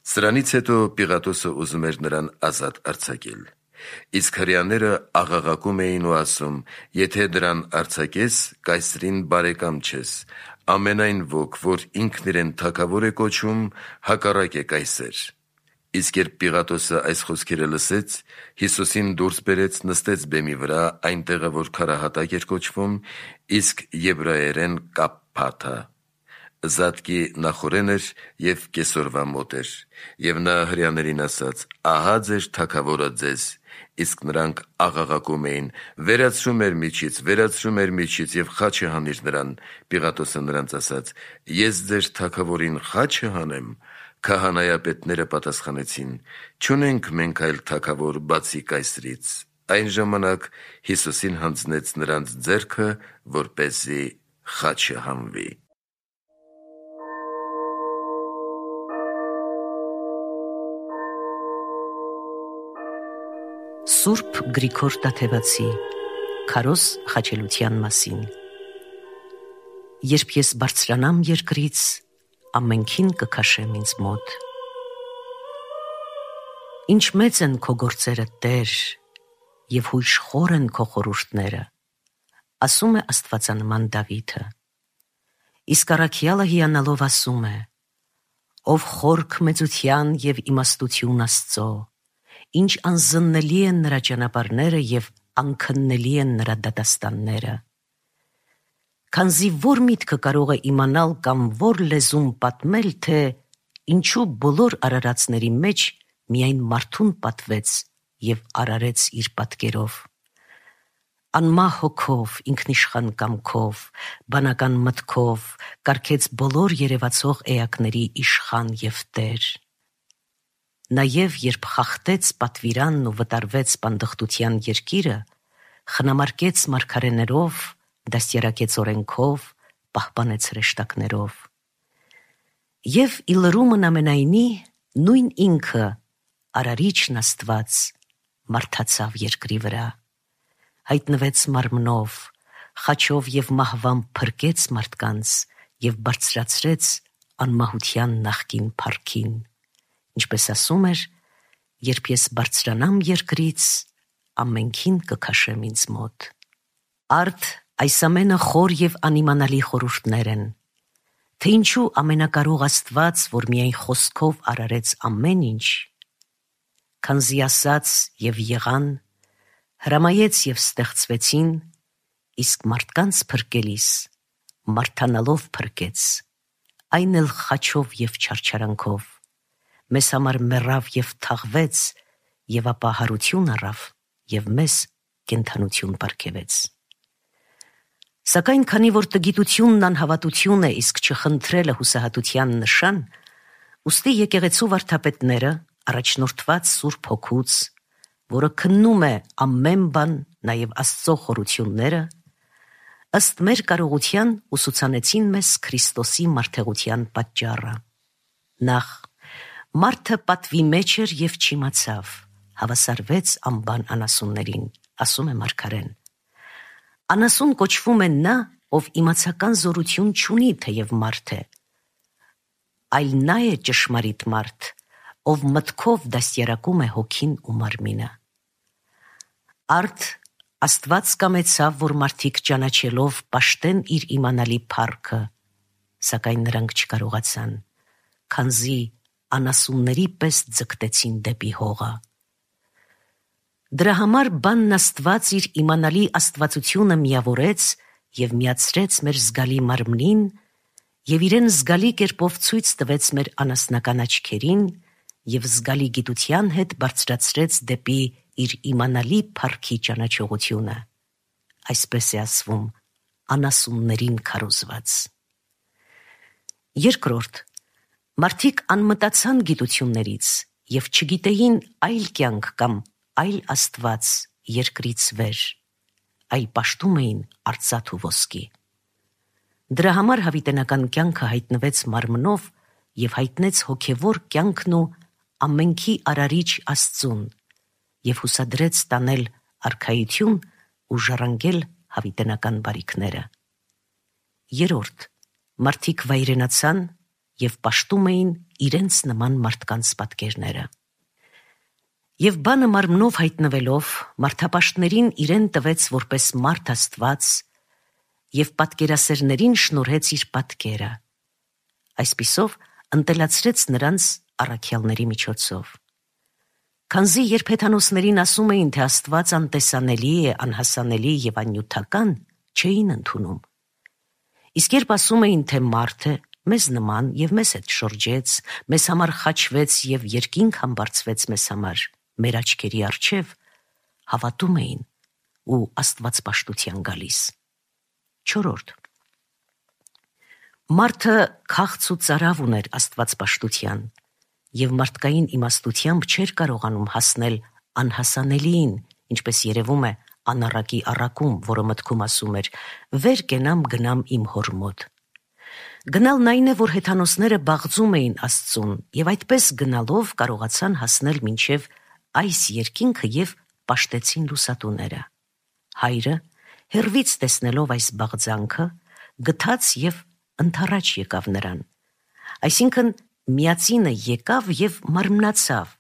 Սրանից հետո Պիղատոսը ուզում էր նրան ազատ արձակել։ Իսկ հրեաները աղաղակում էին ու ասում. «Եթե դրան արձակես, կայսրին բարեկամ չես, ամենայն ոք, որ ինքն իրեն թագավոր է կոչում, հակառակ է կայսեր»։ Իսկ երբ Պիղատոսը այս խոսքերը լսեց, Հիսուսին դուրս բերեց, նստեց բեմի վրա, այնտեղը, որ քարահատակ էր կոչվում, իսկ եբրայերեն Կափփաթա։ Զատկի նախօրեն էր եւ կեսօրվա մոտ էր, եւ նա հրեաներին ասաց. «Ահա ձեր թագավորը ձեզ»։ Իսկ նրանք աղաղակում էին. «Վերացրու մեր միջից, վերացրու մեր միջից եւ խաչը հանիր նրան»։ Պիղատոսը նրանց ասաց. «Ես ձեր թագավորին խաչը հանեմ»։ Քահանայապետները պատասխանեցին. «Չունենք մենք այլ թագավոր բացի կայսրից»։ Այն ժամանակ Հիսուսին հանձնեց նրանց ձեռքը, որպեսզի խաչը հանվի։ Սուրբ Գրիգոր Տաթևացի Քարոզ խաչելության մասին։ Երբ ես բարձրանամ երկրից, ամենքին կքաշեմ ինձ մոտ։ Ինչ մեծ են քո գործերը, Տեր, և հույժ խոր են քո խորհուրդները, ասում է աստվածանման Դավիթը։ Իսկ առաքյալը հիանալով ասում է. ով խորք մեծության և իմաստություն Աստծո, ինչ անզննելի են նրա ճանապարհները և անքննելի են նրա դատաստանները։ Քանզի որ միտքը կարող է իմանալ կամ որ լեզուն պատմել, թե ինչու բոլոր արարածների մեջ միայն մարդուն պատվեց և արարեց իր պատկերով։ Անմահ հոգով, ինքնիշխան կամքով, բանական մտքով կարգեց բոլոր երևացող էակների իշխան և Տեր։ Նաև երբ խախտեց պատվիրանն ու վտարվեց պանդխտության երկիրը, խնամարկեց մարգարեներով, դաստիարակեց օրենքով, պահպանեց հրեշտակներով։ Եվ ի լրումն ամենայնի նույն ինքը, արարիչն Աստված, մարդացավ երկրի վրա, հայտնվեց մարմնով, խաչով և մահվամբ փրկեց մարդկանց և բարձրացրեց անմահության նախկին փառքին, ինչպես ասում էր. «Երբ ես բարձրանամ երկրից, ամենքին կքաշեմ ինձ մոտ»։ Արդ այս ամենը խոր և անիմանալի խորհուրդներ են, թե ինչու ամենակարող Աստված, որ միայն խոսքով արարեց ամեն ինչ, քանզի ասաց և եղան, հրամայեց և ստեղծվեցին, իսկ մարդկանց փրկելիս մարդանալով փրկեց, այն էլ խաչով և չարչարանքով, մեզ համար մեռավ և թաղվեց, և ապա հարություն առավ և մեզ կենդանություն պարգևեց։ Սակայն քանի որ տգիտությունն անհավատություն է, իսկ չխնդրելը հուսահատության նշան, ուստի եկեղեցու վարդապետները, առաջնորդված Սուրբ Հոգուց, որը քննում է ամեն բան, նաև Աստծո խորությունները, ըստ մեր կարողության ուսուցանեցին մեզ Քրիստոսի մարդեղության պատճառը։ Նախ, մարդը պատվի մեջ էր և չիմացավ, հավասարվեց անբան անասուններին, ասում է մարգարեն։ Անասուն կոչվում է նա, ով իմացական զորություն չունի, թեև մարդ է, այլ նա է ճշմարիտ մարդ, ով մտքով դաստիարակում է հոգին ու մարմինը։ Արդ Աստված կամեցավ, որ մարդիկ ճանաչելով պաշտեն իր իմանալի փառքը, սակայն նրանք չկարողացան, քանզի անասունների պես ձգտեցին դեպի հողը։ Դրա համար բանն Աստված իր իմանալի աստվածությունը միավորեց և միացրեց մեր զգալի մարմնին և իրեն զգալի կերպով ցույց տվեց մեր անասնական աչքերին և զգալի գիտության հետ բարձրացրեց դեպի իր իմանալի փառքի ճանաչողությունը, այսպես է ասվում, անասուններին քարոզված։ Երկրորդ, մարդիկ անմտացան գիտություններից և չգիտեին այլ կյանք կամ այլ Աստված երկրից վեր, այլ պաշտում էին արծաթ ու ոսկի։ Դրա համար հավիտենական կյանքը հայտնվեց մարմնով և հայտնեց հոգևոր կյանքն ու ամենքի արարիչ Աստծուն և հուսադրեց տանել արքայություն ու ժառանգել հավիտենական բարիքները։ Երրորդ, մարդիկ վայրենացան և պաշտում էին իրենց նման մարդկանց պատկերները։ Եվ բանը մարմնով հայտնվելով, մարդապաշտներին իրեն տվեց որպես մարդ Աստված և պատկերասերներին շնորհեց իր պատկերը, այսպիսով ընտելացրեց նրանց առաքյալների միջոցով։ Քանզի երբ հեթանոսներին ասում էին, թե Աստված անտեսանելի է, անհասանելի և աննյութական, չէին ընդունում։ Իսկ երբ ասում էին, թե մարդ է, մեզ նման և մեզ հետ շրջեց, մեզ համար խաչվեց և երկինք համբարձվեց մեզ համար, մեր աչքերի առջև, հավատում էին ու աստվածպաշտության գալիս։ Չորրորդ, մարդը քաղց ու ծարավ ուներ աստվածպաշտության և մարդկային իմաստությամբ չէր կարողանում հասնել անհասանելիին, ինչպես երևում է անառակի առակում, որը մտքում ասում էր. «Վեր կենամ գնամ իմ հոր մոտ»։ Գնալն այն է, որ հեթանոսները բաղձում էին Աստծուն և այդպես գնալով կարողացան հասնել մինչև այս երկինքը և պաշտեցին լուսատուները։ Հայրը, հեռվից տեսնելով այս բաղձանքը, գթաց և ընդառաջ եկավ նրան։ Այսինքն միածինը եկավ և մարմնացավ,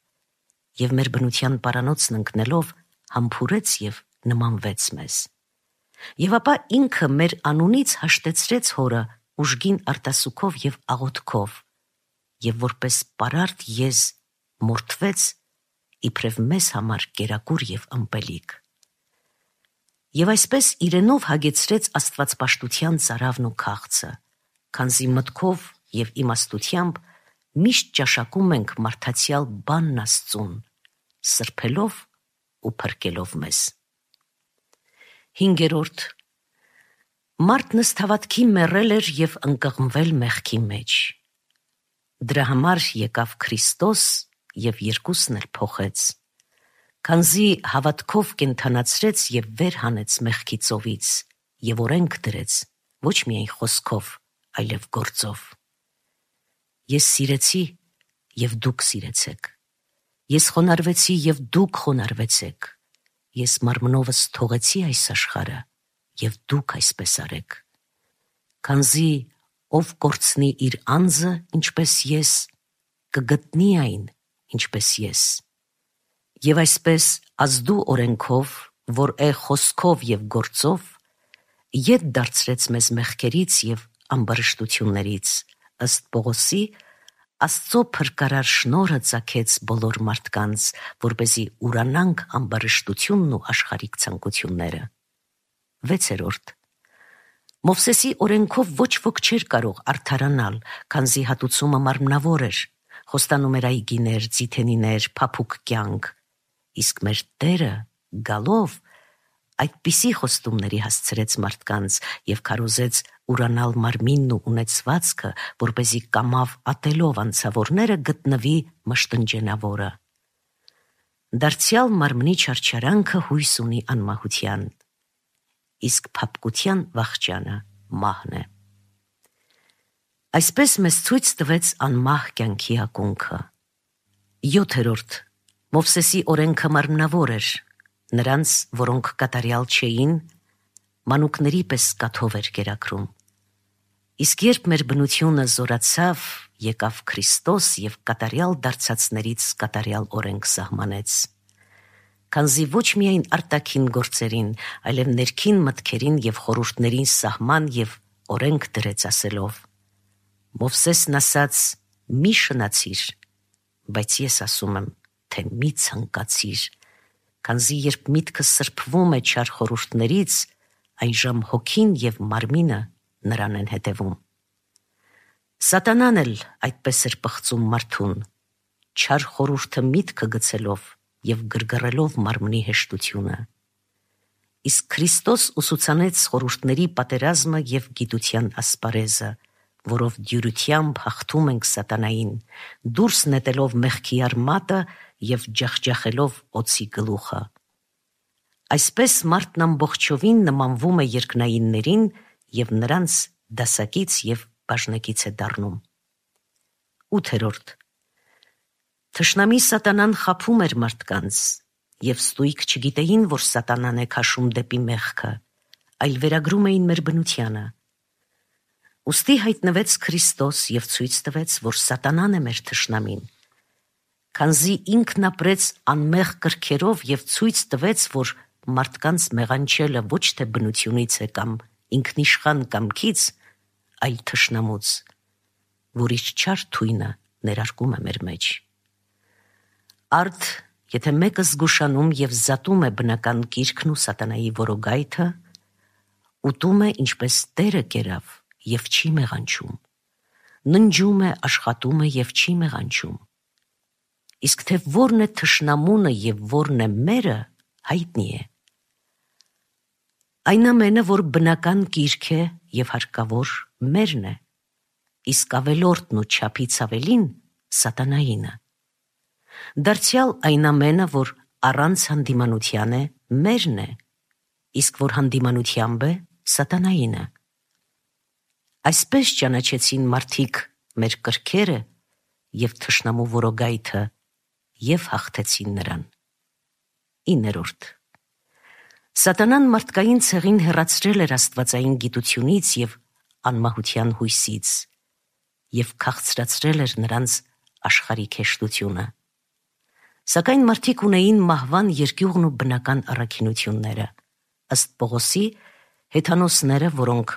և մեր բնության պարանոցն ընկնելով համբուրեց և նմանվեց մեզ։ Եվ ապա ինքը մեր անունից հաշտեցրեց հորը ուժգին արտասուքով և աղոթքով, և որպես պարարտ եզ մորթվեց իբրև մեզ համար կերակուր և ըմպելիք։ Եվ այսպես իրենով հագեցրեց աստվածպաշտության ծարավն ու քաղցը, քանզի մտքով և իմաստությամբ միշտ ճաշակում ենք մարդացյալ բանն Աստծուն, սրբելով ու փրկելով մեզ։ Հինգերորդ. մարդն ըստ հավատքի մեռել էր և ընկղմվել մեղքի մեջ։ Դրա համար եկավ Քրիստոս և երկուսն էլ փոխեց, քանզի հավատքով կենդանացրեց և վեր հանեց մեղքի ծովից և օրենք դրեց, ոչ միայն խոսքով, այլև գործով։ Ես սիրեցի, և դուք սիրեցեք։ Ես խոնարհվեցի, և դուք խոնարհվեցեք։ Ես մարմնովս թողեցի այս աշխարհը, և դուք այսպես արեք։ Քանզի ով կորցնի իր անձը, ինչպես ես, կգտնի այն, ինչպես ես։ Եվ այսպես ազդու օրենքով, որ է խոսքով և գործով, ետ դարձրեց մեզ մեղքերից և ամբարշտություններից, ըստ Պողոսի, Աստծո փրկարար շնորհը ծագեց բոլոր մարդկանց, որպեսզի ուրանանք ամբարշտությունն ու աշխարհիկ ցանկությունները։ Վեցերորդ. Մովսեսի օրենքով ոչ ոք չէր կարող արդարանալ, քանզի հատուցումը մարմնավոր էր, խոստանում էր այգիներ, ձիթենիներ, փափուկ կյանք, իսկ մեր Տերը գալով այդպիսի խոստումների հասցրեց մարդկանց և քարոզեց ուրանալ մարմինն ու ունեցվածքը, որպեսզի կամավ ատելով անցավորները գտնվի մշտնջենավորը։ Դարձյալ մարմնի չարչարանքը հույս ունի անմահության, իսկ փափկության վախճանը մահն է։ Այսպես մեզ ցույց տվեց անմահ կյանքի ակունքը։ Յոթերորդ. Մովսեսի օրենքը մարմնավոր էր, նրանց, որոնք կատարյալ չէին, մանուկների պես կաթով էր կերակրում։ Իսկ երբ մեր բնությունը զորացավ, եկավ Քրիստոս և կատարյալ դարձածներից կատարյալ օրենք սահմանեց։ Քանզի ոչ միայն արտաքին գործերին, այլև ներքին մտքերին և խորհուրդներին սահման և օրենք դրեց ասելով. Մովսեսն ասաց. «Մի շնացիր», բայց ես ասում եմ, թե մի ցանկացիր, քանզի երբ միտքը սրբվում է չար խորհուրդներից, այժմ հոգին և մարմինը նրան են հետևում։ Սատանան էլ այդպես էր պղծում մարդուն, չար խորհուրդը միտքը գցելով և գրգռելով մարմնի հեշտությունը։ Իսկ Քրիստոս ուսուցանեց խորհուրդների պատերազմը և գիտության ասպարեզը, որով դյուրությամբ հաղթում ենք սատանային, դուրս նետելով մեղքի արմատը և ջախջախելով օձի գլուխը։ Այսպես մարդն ամբողջովին նմանվում է երկնայիններին և նրանց դասակից և բաժնեկից է դառնում։ Ութերորդ. Թշնամի սատանան խաբում էր մարդկանց, և ստույգ չգիտեին, որ սատանան է քաշում դեպի մեղքը, այլ վերագրում էին մեր բնությանը։ Ուստի հայտնվեց Քրիստոս և ցույց տվեց, որ սատանան է մեր թշնամին, քանզի ինքն ապրեց անմեղ կրքերով և ցույց տվեց, որ մարդկանց մեղանչելը ոչ թե բնությունից է կամ ինքնիշխան կամքից, այլ թշնամուց, որ իր չար թույնը ներարկում է մեր մեջ։ Արդ, եթե մեկը զգուշանում և զատում է բնական կիրքն ու սատանայի որոգայթը, ուտում է ինչպես Տերը կերավ և չի մեղանչում, ննջում է, աշխատում է և չի մեղանչում։ Իսկ թե որն է թշնամունը և որն է մերը, հայտնի է։ Այն ամենը, որ բնական կիրք է և հարկավոր, մերն է, իսկ ավելորդն ու չափից ավելին սատանայինը։ Դարձյալ այն ամենը, որ առանց հանդիմանության է, մերն է, իսկ որ հանդիմանությամբ է, սատանայինը։ Այսպես ճանաչեցին մարդիկ մեր կրքերը և թշնամու որոգայթը և հաղթեցին նրան։ Իններորդ. Սատանան մարդկային ցեղին հեռացրել էր աստվածային գիտությունից և անմահության հույսից և քաղցրացրել էր նրանց աշխարհիկ հեշտությունը։ Սակայն մարդիկ ունեին մահվան երկյուղն ու բնական առաքինությունները։ Ըստ Պողոսի, հեթանոսները, որոնք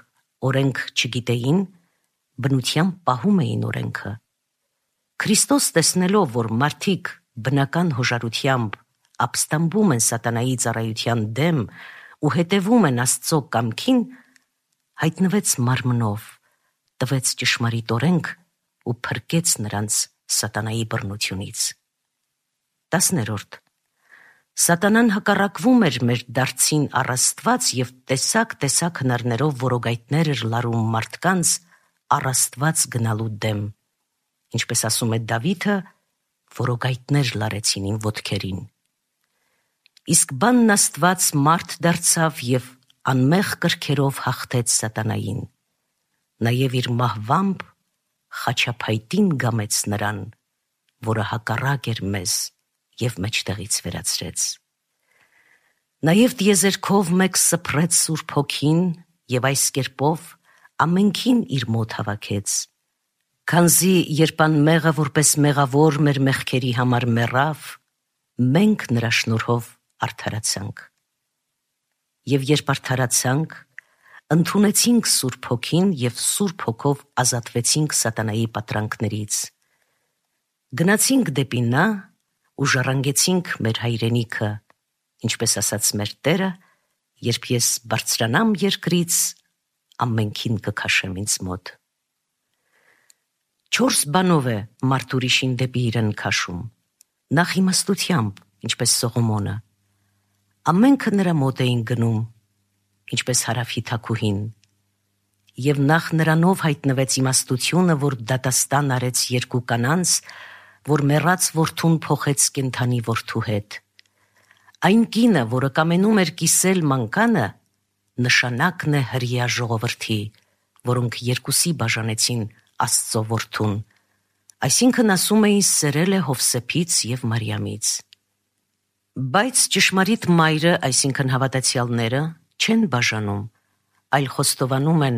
օրենք չգիտեին, բնությամբ պահում էին օրենքը։ Քրիստոս, տեսնելով, որ մարդիկ բնական հոժարությամբ ապստամբում են սատանայի ծառայության դեմ ու հետևում են Աստծո կամքին, հայտնվեց մարմնով, տվեց ճշմարիտ օրենք ու փրկեց նրանց սատանայի բռնությունից։ Տասներորդ. Սատանան հակառակվում էր մեր դարձին առ Աստված և տեսակ-տեսակ հնարներով որոգայթներ էր լարում մարդկանց առ Աստված գնալու դեմ, ինչպես ասում է Դավիթը, որոգայթներ լարեցին իմ ոտքերին։ Իսկ բանն Աստված մարդ դարձավ և անմեղ կրքերով հաղթեց սատանային, նաև իր մահվամբ խաչափայտին գամեց նրան, որը հակառակ էր մեզ և մեջտեղից վերացրեց։ Նաև տիեզերքով մեկ սփռեց Սուրբ Հոգին և այս կերպով ամենքին իր մոտ հավաքեց, քանզի երբ անմեղը որպես մեղավոր մեր մեղքերի համար մեռավ, մենք նրա շնորհով արդարացանք։ Եվ երբ արդարացանք, ընդունեցինք Սուրբ Հոգին և Սուրբ Հոգով ազատվեցինք սատանայի պատրանքներից։ Գնացինք դեպի նա ու ժառանգեցինք մեր հայրենիքը, ինչպես ասաց մեր Տերը, երբ ես բարձրանամ երկրից, ամենքին կքաշեմ ինձ մոտ։ Չորս բանով է մարդ ուրիշին դեպի իրեն քաշում. նախ իմաստությամբ, ինչպես Սողոմոնը, ամենքը նրա մոտ էին գնում, ինչպես Հարավի թագուհին, և նախ նրանով հայտնվեց իմաստությունը, որ դատաստան արեց երկու կանանց, որ մեռած որդուն փոխեց կենդանի որդու հետ։ Այն կինը, որը կամենում էր կիսել մանկանը, նշանակն է հրեա ժողովրդի, որոնք երկուսի բաժանեցին Աստծո որդուն, այսինքն ասում էին սերել է Հովսեփից և Մարիամից։ Բայց ճշմարիտ մայրը, այսինքն հավատացյալները, չեն բաժանում, այլ խոստովանում են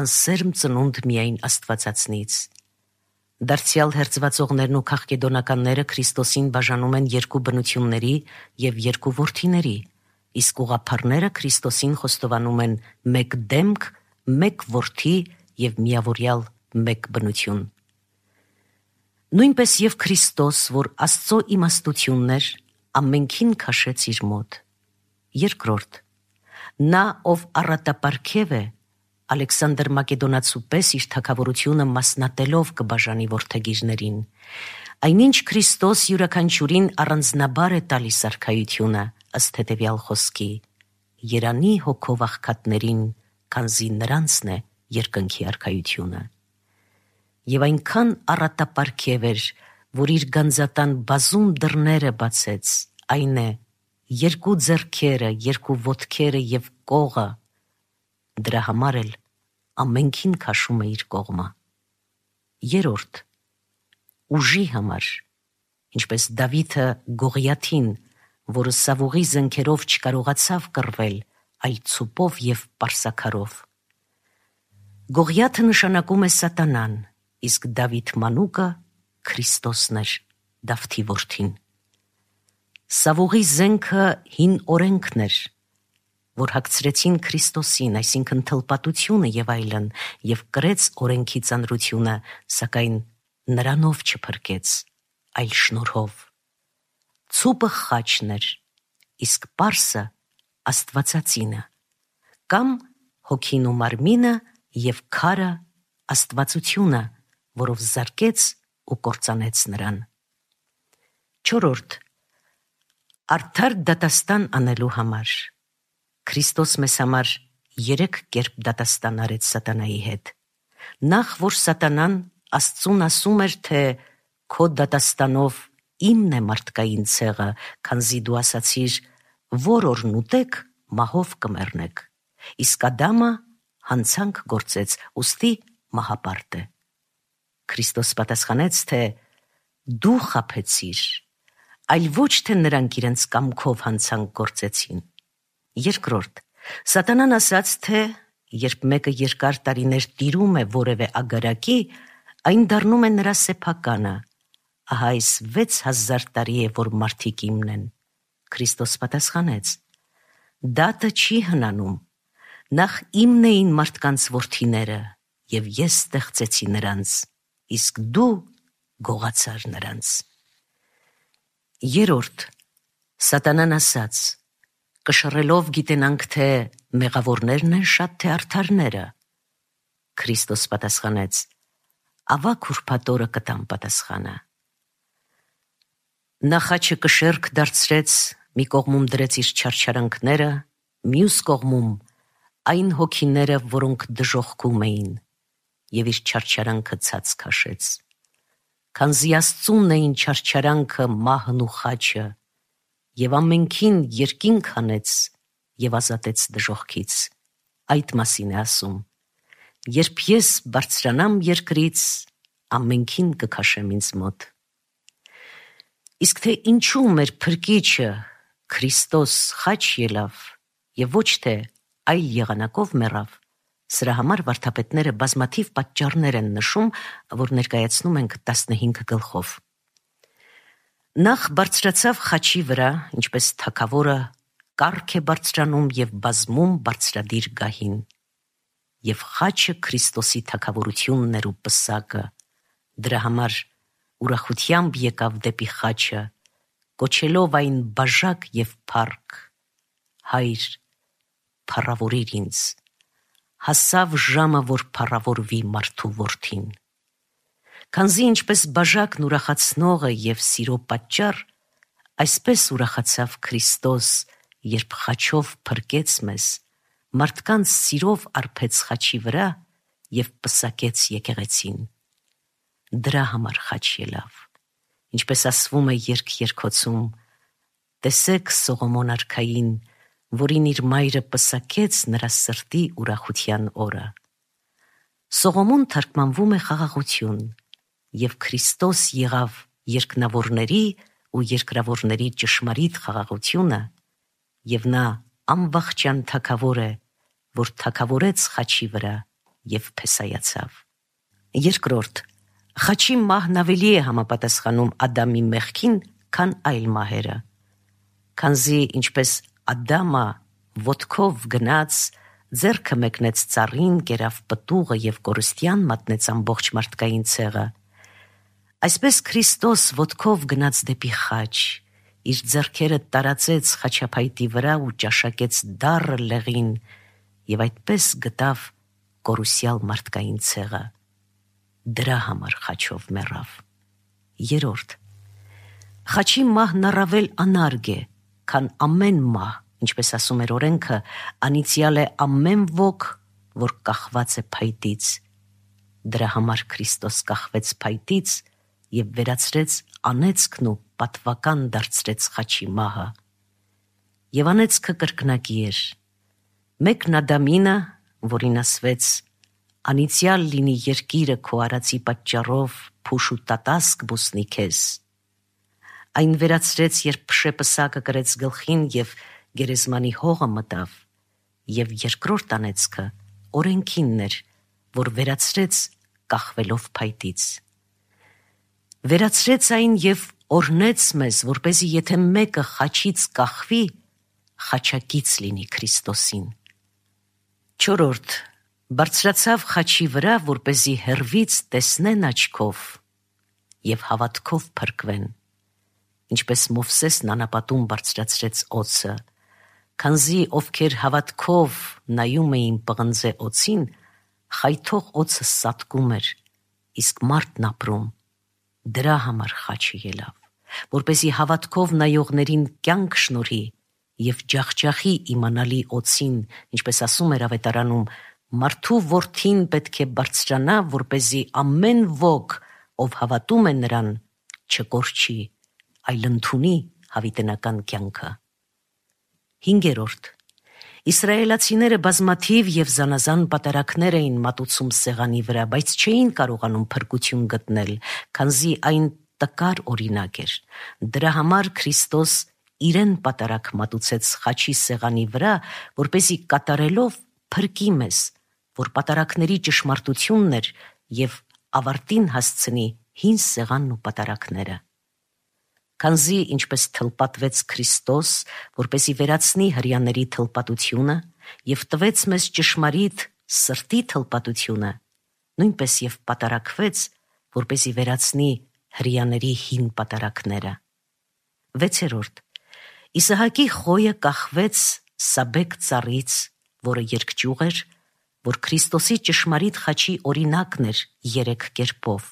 անսերմ ծնունդ միայն Աստվածածնից։ Դարձյալ հերձվածողներն ու քաղկեդոնականները Քրիստոսին բաժանում են երկու բնությունների և երկու որդիների, իսկ ուղղափառները Քրիստոսին խոստովանում են մեկ դեմք, մեկ որդի և միավորյալ մեկ բնություն։ Նույնպես և Քրիստոս, որ Աստծո իմաստությունն էր, ամենքին քաշեց իր մոտ։ Երկրորդ. նա, ով առատապարգև է, Ալեքսանդր Մակեդոնացու պես իր թագավորությունը մասնատելով կբաժանի որդեգիրներին, այնինչ Քրիստոս յուրաքանչյուրին առանձնաբար է տալիս արքայությունը, ըստ հետևյալ խոսքի. երանի հոգով աղքատներին, քանզի նրանցն է երկնքի արքայությունը։ Եվ այնքան առատապարգև էր, որ իր գանձատան բազում դռները բացեց, այն է, երկու ձեռքերը, երկու ոտքերը և կողը, դրա համար էլ ամենքին քաշում է իր կողմը։ Երորդ. ուժի համար, ինչպես Դավիթը Գողիաթին, որը սավուղի զենքերով չկարողացավ կռվել, այլ ցուպով և պարսաքարով։ Գողիաթը նշանակում է սատանան, իսկ Դավիթ մանուկը Քրիստոսն էր, Դավթի որդին։ Սավուղի զենքը հին օրենքն էր, որ հագցրեցին Քրիստոսին, այսինքն թլպատությունը և այլն, և կրեց օրենքի ծանրությունը, սակայն նրանով չփրկեց, այլ շնորհով։ Ցուպը խաչն էր, իսկ պարսը Աստվածածինը, կամ հոգին ու մարմինը և քարը Աստվածությունը, որով զարկեց ու կործանեց նրան։ Չորրորդ. արդար դատաստան անելու համար։ Քրիստոս մեզ համար երեք կերպ դատաստան արեց սատանայի հետ։ Նախ, որ սատանան Աստծուն ասում էր, թե քո դատաստանով իմն է մարդկային ցեղը, քանզի դու ասացիր, որ օրն ուտեք, մահով կմեռնեք, իսկ Ադամը հանցանք գործեց, ուստի մահապարտ է։ Քրիստոս պատասխանեց, թե դու խաբեցիր, այլ ոչ թե նրանք իրենց կամքով հանցանք գործեցին։ Երկրորդ. սատանան ասաց, թե երբ մեկը երկար տարիներ տիրում է որևէ ագարակի, Այն դառնում է նրա սեփականը։ Ահա այս վեց հազար տարի է, որ մարդիկ իմն են։ Քրիստոս պատասխանեց. Դատը չի հնանում, նախ իմն էին մարդկանց որդիները, և ես ստեղծեցի նրանց, իսկ դու գողացար նրանց։ Երորդ, Սատանան ասաց. կշռելով գիտենանք, թե մեղավորներն են շատ, թե արդարները։ Քրիստոս պատասխանեց. ավագ ուրբաթ օրը կտամ պատասխանը։ Նա խաչը կշեռք դարձրեց, մի կողմում դրեց իր չարչարանքները, մյուս կողմում այն հոգիները, որոնք դժոխքում էին, և իր չարչարանքը ցած քաշեց։ Քանզի Աստծուն էին չարչարանքը, մահն ու խաչը, և ամենքին երկինք հանեց և ազատեց դժոխքից։ Այդ մասին է ասում. երբ ես բարձրանամ երկրից, ամենքին կքաշեմ ինձ մոտ։ Իսկ թե ինչու մեր փրկիչը Քրիստոս խաչ ելավ և ոչ թե այլ եղանակով մեռավ, սրա համար վարդապետները բազմաթիվ պատճառներ են նշում, որ ներկայացնում ենք տասնհինգ գլխով։ Նախ բարձրացավ խաչի վրա, ինչպես թագավորը կառք է բարձրանում և բազմում բարձրադիր գահին։ Եվ խաչը Քրիստոսի թագավորությունն էր ու պսակը, դրա համար ուրախությամբ եկավ դեպի խաչը, կոչելով այն բաժակ և փառք. Հայր, փառավորիր ինձ, հասավ ժամը, որ փառավորվի մարդու որդին։ Քանզի ինչպես բաժակն ուրախացնող է և սիրո պատճառ, այսպես ուրախացավ Քրիստոս, երբ խաչով փրկեց մեզ, մարդկանց սիրով արբեց խաչի վրա և պսակեց եկեղեցին։ Դրա համար խաչ ելավ, ինչպես ասվում է երգ երգոցում. տեսեք Սողոմոն արքային, որին իր մայրը պսակեց նրա սրտի ուրախության օրը։ Սողոմոն թարգմանվում է խաղաղություն, և Քրիստոս եղավ երկնավորների ու երկրավորների ճշմարիտ խաղաղությունը, և նա անվախճան թագավոր է, որ թագավորեց խաչի վրա և փեսայացավ։ Երկրորդ, խաչի մահն ավելի է համապատասխանում Ադամի մեղքին, քան այլ մահերը։ Քանզի ինչպես Ադամը ոտքով գնաց, ձեռքը մեկնեց ծառին, կերավ պտուղը և կորստյան մատնեց ամբողջ մարդկային ցեղը, այսպես Քրիստոս ոտքով գնաց դեպի խաչ, իր ձեռքերը տարածեց խաչափայտի վրա ու ճաշակեց դառը լեղին և այդպես գտավ կորուսյալ մարդկային ցեղը։ Դրա համար խաչով մեռավ։ Երորդ, խաչի մահն առավել անարգ է, քան ամեն մահ, ինչպես ասում էր օրենքը, անիծյալ է ամեն ոք, որ կախված է փայտից։ Դրա համար Քրիստոս կախվեց փայտից և վերացրեց անեծքն ու պատվական դարձրեց խաչի մահը։ Եվ անեծքը կրկնակի էր. մեկն Ադամինը, որին ասվեց. անիծյալ լինի երկիրը քո արածի պատճառով, փուշ ու տատասկ բուսնի քեզ։ Այն վերացրեց, երբ փշեպսակը կրեց գլխին և գերեզմանի հողը մտավ, և երկրորդ անեծքը օրենքինն էր, որ վերացրեց կախվելով փայտից։ Վերացրեց այն և օրհնեց մեզ, որպեսզի եթե մեկը խաչից կախվի, խաչակից լինի Քրիստոսին։ Չորրորդ, բարձրացավ խաչի վրա, որպեսզի հեռվից տեսնեն աչքով և հավատքով փրկվեն, ինչպես Մովսեսն անապատում բարձրացրեց օձը, քանզի ովքեր հավատքով նայում էին պղնձե օձին, խայթող օձը սատկում էր, իսկ մարդն ապրում։ Դրա համար խաչը ելավ, որպեսզի հավատքով նայողներին կյանք շնորհի և ջախջախի իմանալի օձին, ինչպես ասում էր ավետարանում. մարդու որդին պետք է բարձրանա, որպեսզի ամեն ոք, ով հավատում է նրան, չկորչի, այլ ընդունի հավիտենական կյանքը։ Հինգերորդ, իսրայելացիները բազմաթիվ և զանազան պատարագներ էին մատուցում սեղանի վրա, բայց չէին կարողանում փրկություն գտնել, քանզի այն տկար օրինակ էր։ Դրա համար Քրիստոս իրեն պատարագ մատուցեց խաչի սեղանի վրա, որպեսզի կատարելով փրկի մեզ, որ պատարագների ճշմարտությունն էր և ավարտին հասցնի հին սեղանն ու պատարակները։ Քանզի ինչպես թլպատվեց Քրիստոս, որպեսզի վերացնի հրեաների թլպատությունը եւ տվեց մեզ ճշմարիտ սրտի թլպատությունը, նույնպես եւ պատարակվեց, որպեսզի վերացնի հրեաների հին պատարակները։ Վեցերորդ. Իսահակի խոյը կախվեց Սաբեկ ծառից, որը երկճյուղ էր, որ Քրիստոսի ճշմարիտ խաչի օրինակն էր երեք կերպով։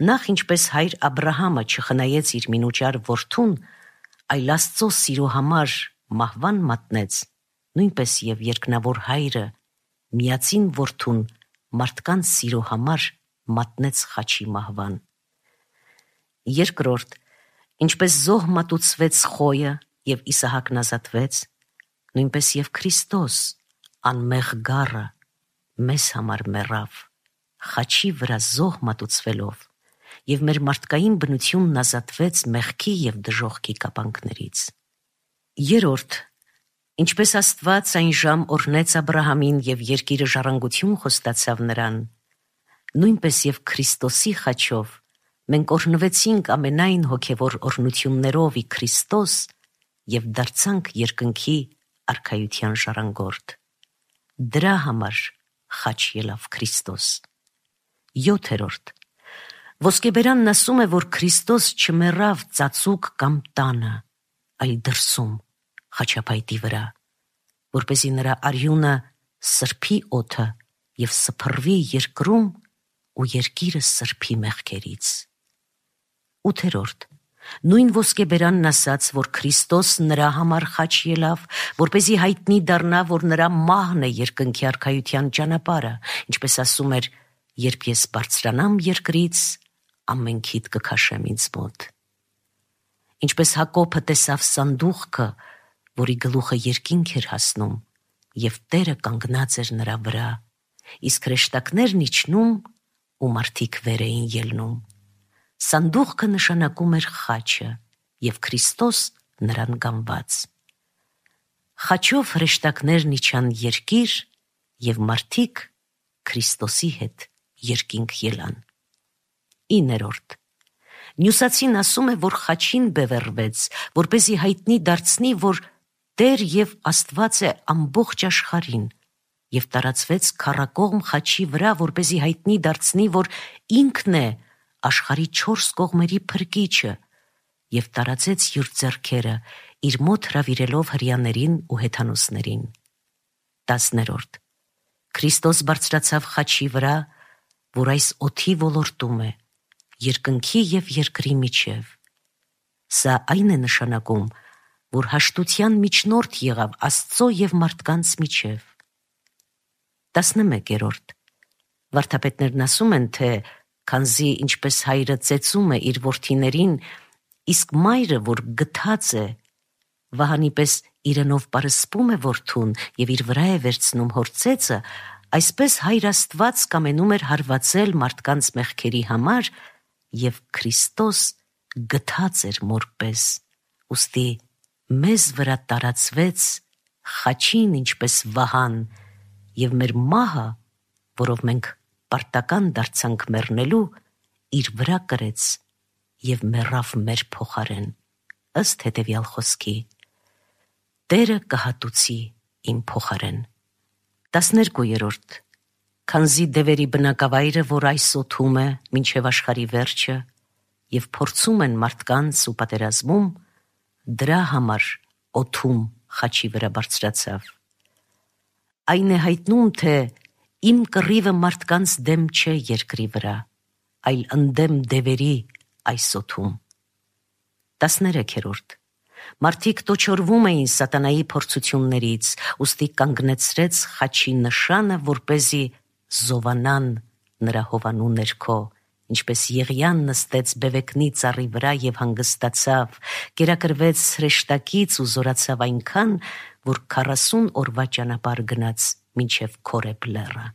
Նախ ինչպես հայր Աբրահամը չխնայեց իր մինուճար որդուն, այլ Աստծո սիրո համար մահվան մատնեց, նույնպես եւ երկնավոր հայրը միածին որդուն մարդկանց սիրո համար մատնեց խաչի մահվան։ Երկրորդ, ինչպես զոհ մատուցվեց խոյը եւ Իսահակն ազատվեց, նույնպես եւ Քրիստոս անմեղ գառը մեզ համար մեռավ, խաչի վրա զոհ մատուցվելով, եւ մեր մարդկային բնությունն ազատվեց մեղքի եւ դժոխքի կապանքներից։ Երորդ, ինչպես Աստված այն ժամ օրհնեց Աբրահամին եւ երկիրը ժառանգություն խոստացավ նրան, նույնպես եւ Քրիստոսի խաչով մենք օրհնվեցինք ամենայն հոգևոր օրհնություններով ի Քրիստոս եւ դարձանք երկնքի արքայության ժառանգորդ։ Դրա համար խաչ ելավ Քրիստոս։ Յոթերորդ. Ոսկեբերանն ասում է, որ Քրիստոս չմեռավ ծածուկ կամ տանը, այլ դրսում, խաչապայտի վրա, որպեսզի նրա արյունը սրբի օդը եւ սփռվի երկրում ու երկիրը սրբի մեղքերից։ Ութերորդ. Նույն ոսկեբերանն ասաց, որ Քրիստոս նրա համար խաչ ելավ, որպեսզի հայտնի դառնա, որ նրա մահն է երկնքի արքայության ճանապարհը, ինչպես ասում էր. երբ ես բարձրանամ երկրից, ամենքիդ կքաշեմ ինձ մոտ։ Ինչպես Հակոբը տեսավ սանդուղքը, որի գլուխը երկինք էր հասնում, եւ Տերը կանգնած էր նրա վրա, իսկ հրեշտակներն իջնում ու մարդիկ վեր էին ելնում։ Սանդուղքը նշանակում էր խաչը եւ Քրիստոս նրան գանված։ Խաչով հրեշտակներն իջան երկիր եւ մարդիկ Քրիստոսի հետ երկինք ելան։ Իներորդ. Նյուսացին ասում է, որ խաչին բևեռվեց, որպեսզի հայտնի դարձնի, որ Տեր եւ Աստված է ամբողջ աշխարհին, եւ տարածվեց քառակողմ խաչի վրա, որպեսզի հայտնի դարձնի, որ ինքն է աշխարհի չորս կողմերի փրկիչը, եւ տարածեց յուր ձեռքերը, իր մոտ հրավիրելով հրեաներին ու հեթանոսներին։ Տասներորդ. Քրիստոս բարձրացավ խաչի վրա, որ այս օդի ոլորտում է, երկնքի եւ երկրի միջև։ Սա այն է նշանակում, որ հաշտության միջնորդ եղավ Աստծո եւ մարդկանց միջև։ Տասնմեկերորդ. Վարդապետներն ասում են, թե քանզի ինչպես հայրը ծեծում է իր որդիներին, իսկ մայրը, որ գթած է, վահանի պես իրենով պարսպում է որդուն եւ իր վրա է վերցնում հոր ծեծը, այսպես հայր Աստված կամենում էր հարվածել մարդկանց մեղքերի համար եւ Քրիստոս գթած էր մոր պես, ուստի մեզ վրա տարածվեց խաչին ինչպես վահան եւ մեր մահը, որով մենք պարտական դարձանք մեռնելու, իր վրա կրեց եւ մեռավ մեր փոխարեն, ըստ հետեւյալ խոսքի. Տերը կհատուցի իմ փոխարեն։ Տասներկուերորդ. Քանզի դևերի բնակավայրը, որ այս օդում է մինչև աշխարհի վերջը եւ փորձում են մարդկանց ու պատերազմում, դրա համար օդում խաչի վրա բարձրացավ։ Այն է հայտնում, թե իմ կռիվը մարդկանց դեմ չէ երկրի վրա, այլ ընդդեմ դևերի այս օդում։ Տասներեքերորդ. Մարդիկ տոչորվում էին սատանայի փորձություններից, ուստի կանգնեցրեց խաչի նշանը, որպեսզի զովանան նրա հովանու ներքո, ինչպես Եղիան նստեց բևեկնի ծառի վրա եւ հանգստացավ, կերակրվեց հրեշտակից ու զորացավ այնքան, որ քառասուն օրվա ճանապարհ գնաց մինչև Քորեբ լեռը։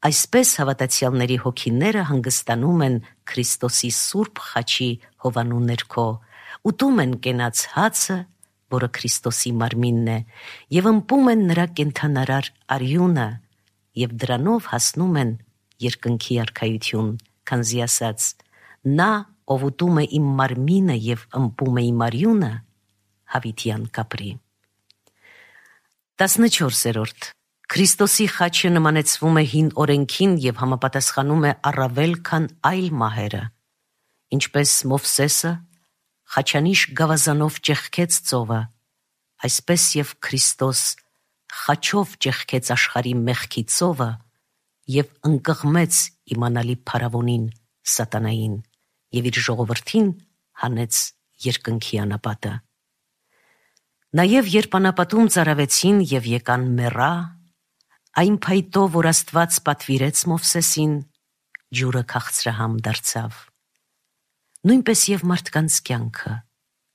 Այսպես հավատացյալների հոգիները հանգստանում են Քրիստոսի սուրբ խաչի հովանու ներքո, ուտում են կենաց հացը, որը Քրիստոսի մարմինն է, եւ ըմպում են նրա կենդանարար արյունը, եւ դրանով հասնում են երկնքի արքայություն, քանզի ասաց. նա, ով ուտում է իմ մարմինը եւ ըմբում է իմ արյունը, հավիտյան կապրի։ տասնչորսերորդ. Քրիստոսի խաչը նմանեցվում է հին օրենքին եւ համապատասխանում է առավել քան այլ մահերը, ինչպես Մովսեսը խաչանիշ գավազանով ճեղքեց ծովը, այսպես եւ Քրիստոս խաչով ճեղքեց աշխարհի մեղքի ծովը եւ ընկղմեց իմանալի փարավոնին սատանային եւ իր ժողովրդին հանեց երկնքի անապատը։ Նաեւ երբ անապատում ծարավեցին եւ եկան մեռա, այն փայտով, որ Աստված պատվիրեց Մովսեսին, ջուրը քաղցրահամ դարձավ։ Նույնպես եւ մարդկանց կյանքը,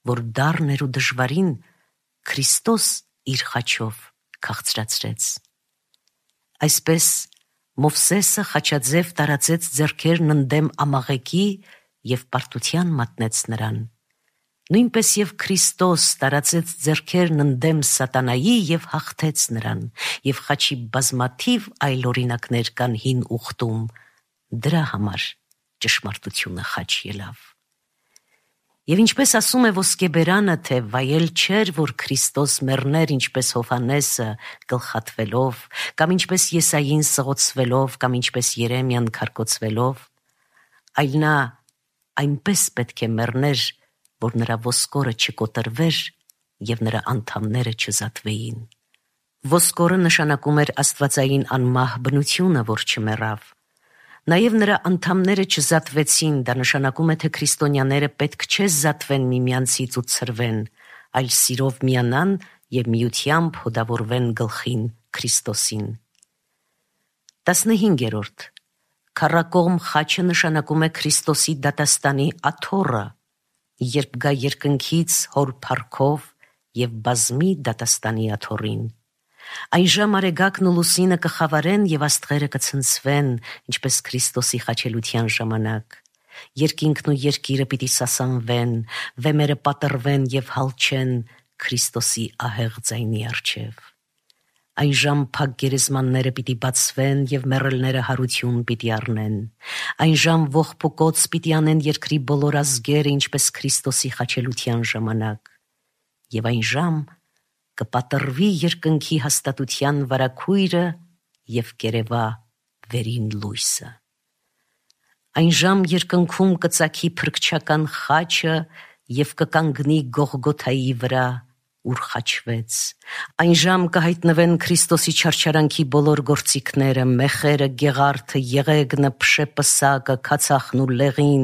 որ դառն էր ու դժվարին, Քրիստոս իր խաչով քաղցրացրեց։ Այսպես Մովսեսը խաչաձև տարածեց ձեռքերն ընդդեմ ամաղեկի եւ պարտության մատնեց նրան։ Նույնպես եւ Քրիստոս տարածեց ձեռքերն ընդդեմ սատանայի եւ հաղթեց նրան, եւ խաչի բազմաթիվ այլ օրինակներ կան հին ուխտում, դրա համար ճշմարտությունը խաչ ելավ։ Եվ ինչպես ասում է ոսկեբերանը, թե վայել չէր, որ Քրիստոս մեռներ ինչպես Հովհաննեսը գլխատվելով, կամ ինչպես Եսային սղոցվելով, կամ ինչպես Երեմիան քարկոծվելով, այլ նա այնպես պետք է մեռներ, որ նրա ոսկորը չկոտրվեր եւ նրա անդամները չզատվեին։ Ոսկորը նշանակում էր աստվածային անմահ բնությունը, որ չմեռավ։ Նաև նրա անդամները չզատվեցին, դա նշանակում է, թե քրիստոնյաները պետք չէ զատվեն միմյանցից ու ցրվեն, այլ սիրով միանան եւ միությամբ հոդավորվեն գլխին Քրիստոսին։ տասնհինգերորդ. Քառակողմ խաչը նշանակում է Քրիստոսի դատաստանի աթոռը, երբ գա երկնքից հոր փառքով եւ բազմի դատաստանի աթոռին։ Այն ժամ արեգակն ու լուսինը կխավարեն եւ աստղերը կցնցվեն, ինչպես Քրիստոսի խաչելության ժամանակ։ Երկինքն ու երկիրը պիտի սասանվեն, վեմերը պատռվեն եւ հալչեն Քրիստոսի ահեղ ձայնի առջև։ Այն ժամ փակ գերեզմանները պիտի բացվեն եւ մեռելները հարություն պիտի առնեն։ Այն ժամ ողբուկոց պիտի անեն երկրի բոլոր ազգերը, ինչպես Քրիստոսի խաչելության ժամանակ։ Եվ այն ժամ կպատրվի երկնքի հաստատության վարագույրը եւ կերևա վերին լույսը։ Այն ժամ երկնքում կծագի փրկչական խաչը եւ կկանգնի Գողգոթայի վրա, ուր խաչվեց։ Այն ժամ կհայտնվեն Քրիստոսի չարչարանքի բոլոր գործիքները, մեխերը, գեղարդը, եղեգնը, փշեպսակը, քացախն ու լեղին,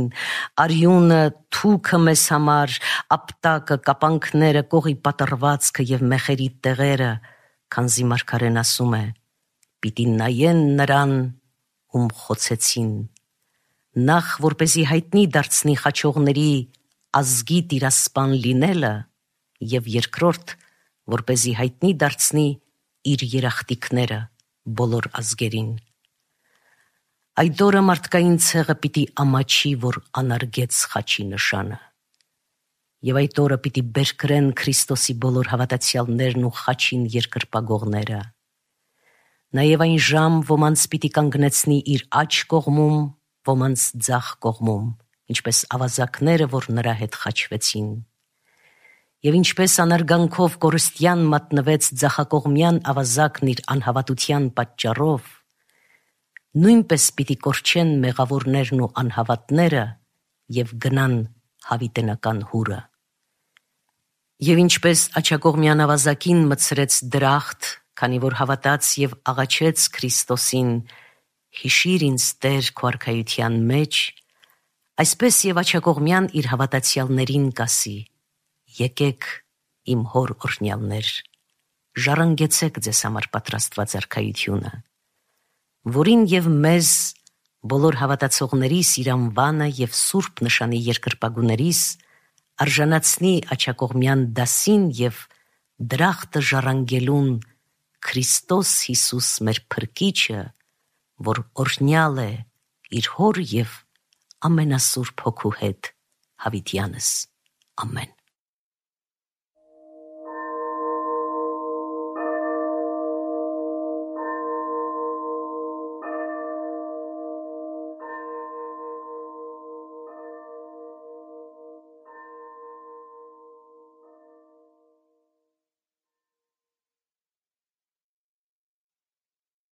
արյունը, թուքը մեզ համար, ապտակը, կապանքները, կողի պատռվածքը եւ մեխերի տեղերը, քանզի մարգարեն ասում է. պիտի նայեն նրան, ում խոցեցին։ Նախ որպեսզի հայտնի դարձնի խաչողների ազգի տիրասպան լինելը, եւ երկրորդ, որպեսզի հայտնի դարձնի իր երախտիկները բոլոր ազգերին։ Այդ օրը մարդկային ցեղը պիտի ամաչի, որ անարգեց խաչի նշանը։ Եվ այդ օրը պիտի բերկրեն Քրիստոսի բոլոր հավատացյալներն ու խաչին երկրպագողները։ Նաև այն ժամ ոմանց պիտի կանգնեցնի իր աջ կողմում, ոմանց ձախ կողմում, ինչպես ավազակները, որ նրա հետ խաչվեցին։ Եվ ինչպես անարգանքով կորստյան մատնվեց ձախակողմյան ավազակն իր անհավատության պատճառով, նույնպես պիտի կորչեն մեղավորներն ու անհավատները եւ գնան հավիտենական հուրը։ Եվ ինչպես աջակողմյան ավազակին մտցրեց դրախտ, քանի որ հավատաց եւ աղաչեց Քրիստոսին, հիշիր ինձ Տեր քո արքայության մեջ, այսպես եւ աջակողմյան իր հավատացյալներին կասի. եկեք իմ հոր օրհնյալներ, ժառանգեցեք ձեզ համար պատրաստված արքայությունը, որին եւ մեզ բոլոր հավատացողներիս իր անվանը եւ սուրբ նշանի երկրպագուներիս արժանացնի աջակողմյան դասին եւ դրախտը ժառանգելուն Քրիստոս Հիսուս մեր փրկիչը, որ օրհնյալ է իր հոր եւ ամենասուրբ հոգու հետ հավիտյանս։ Ամեն։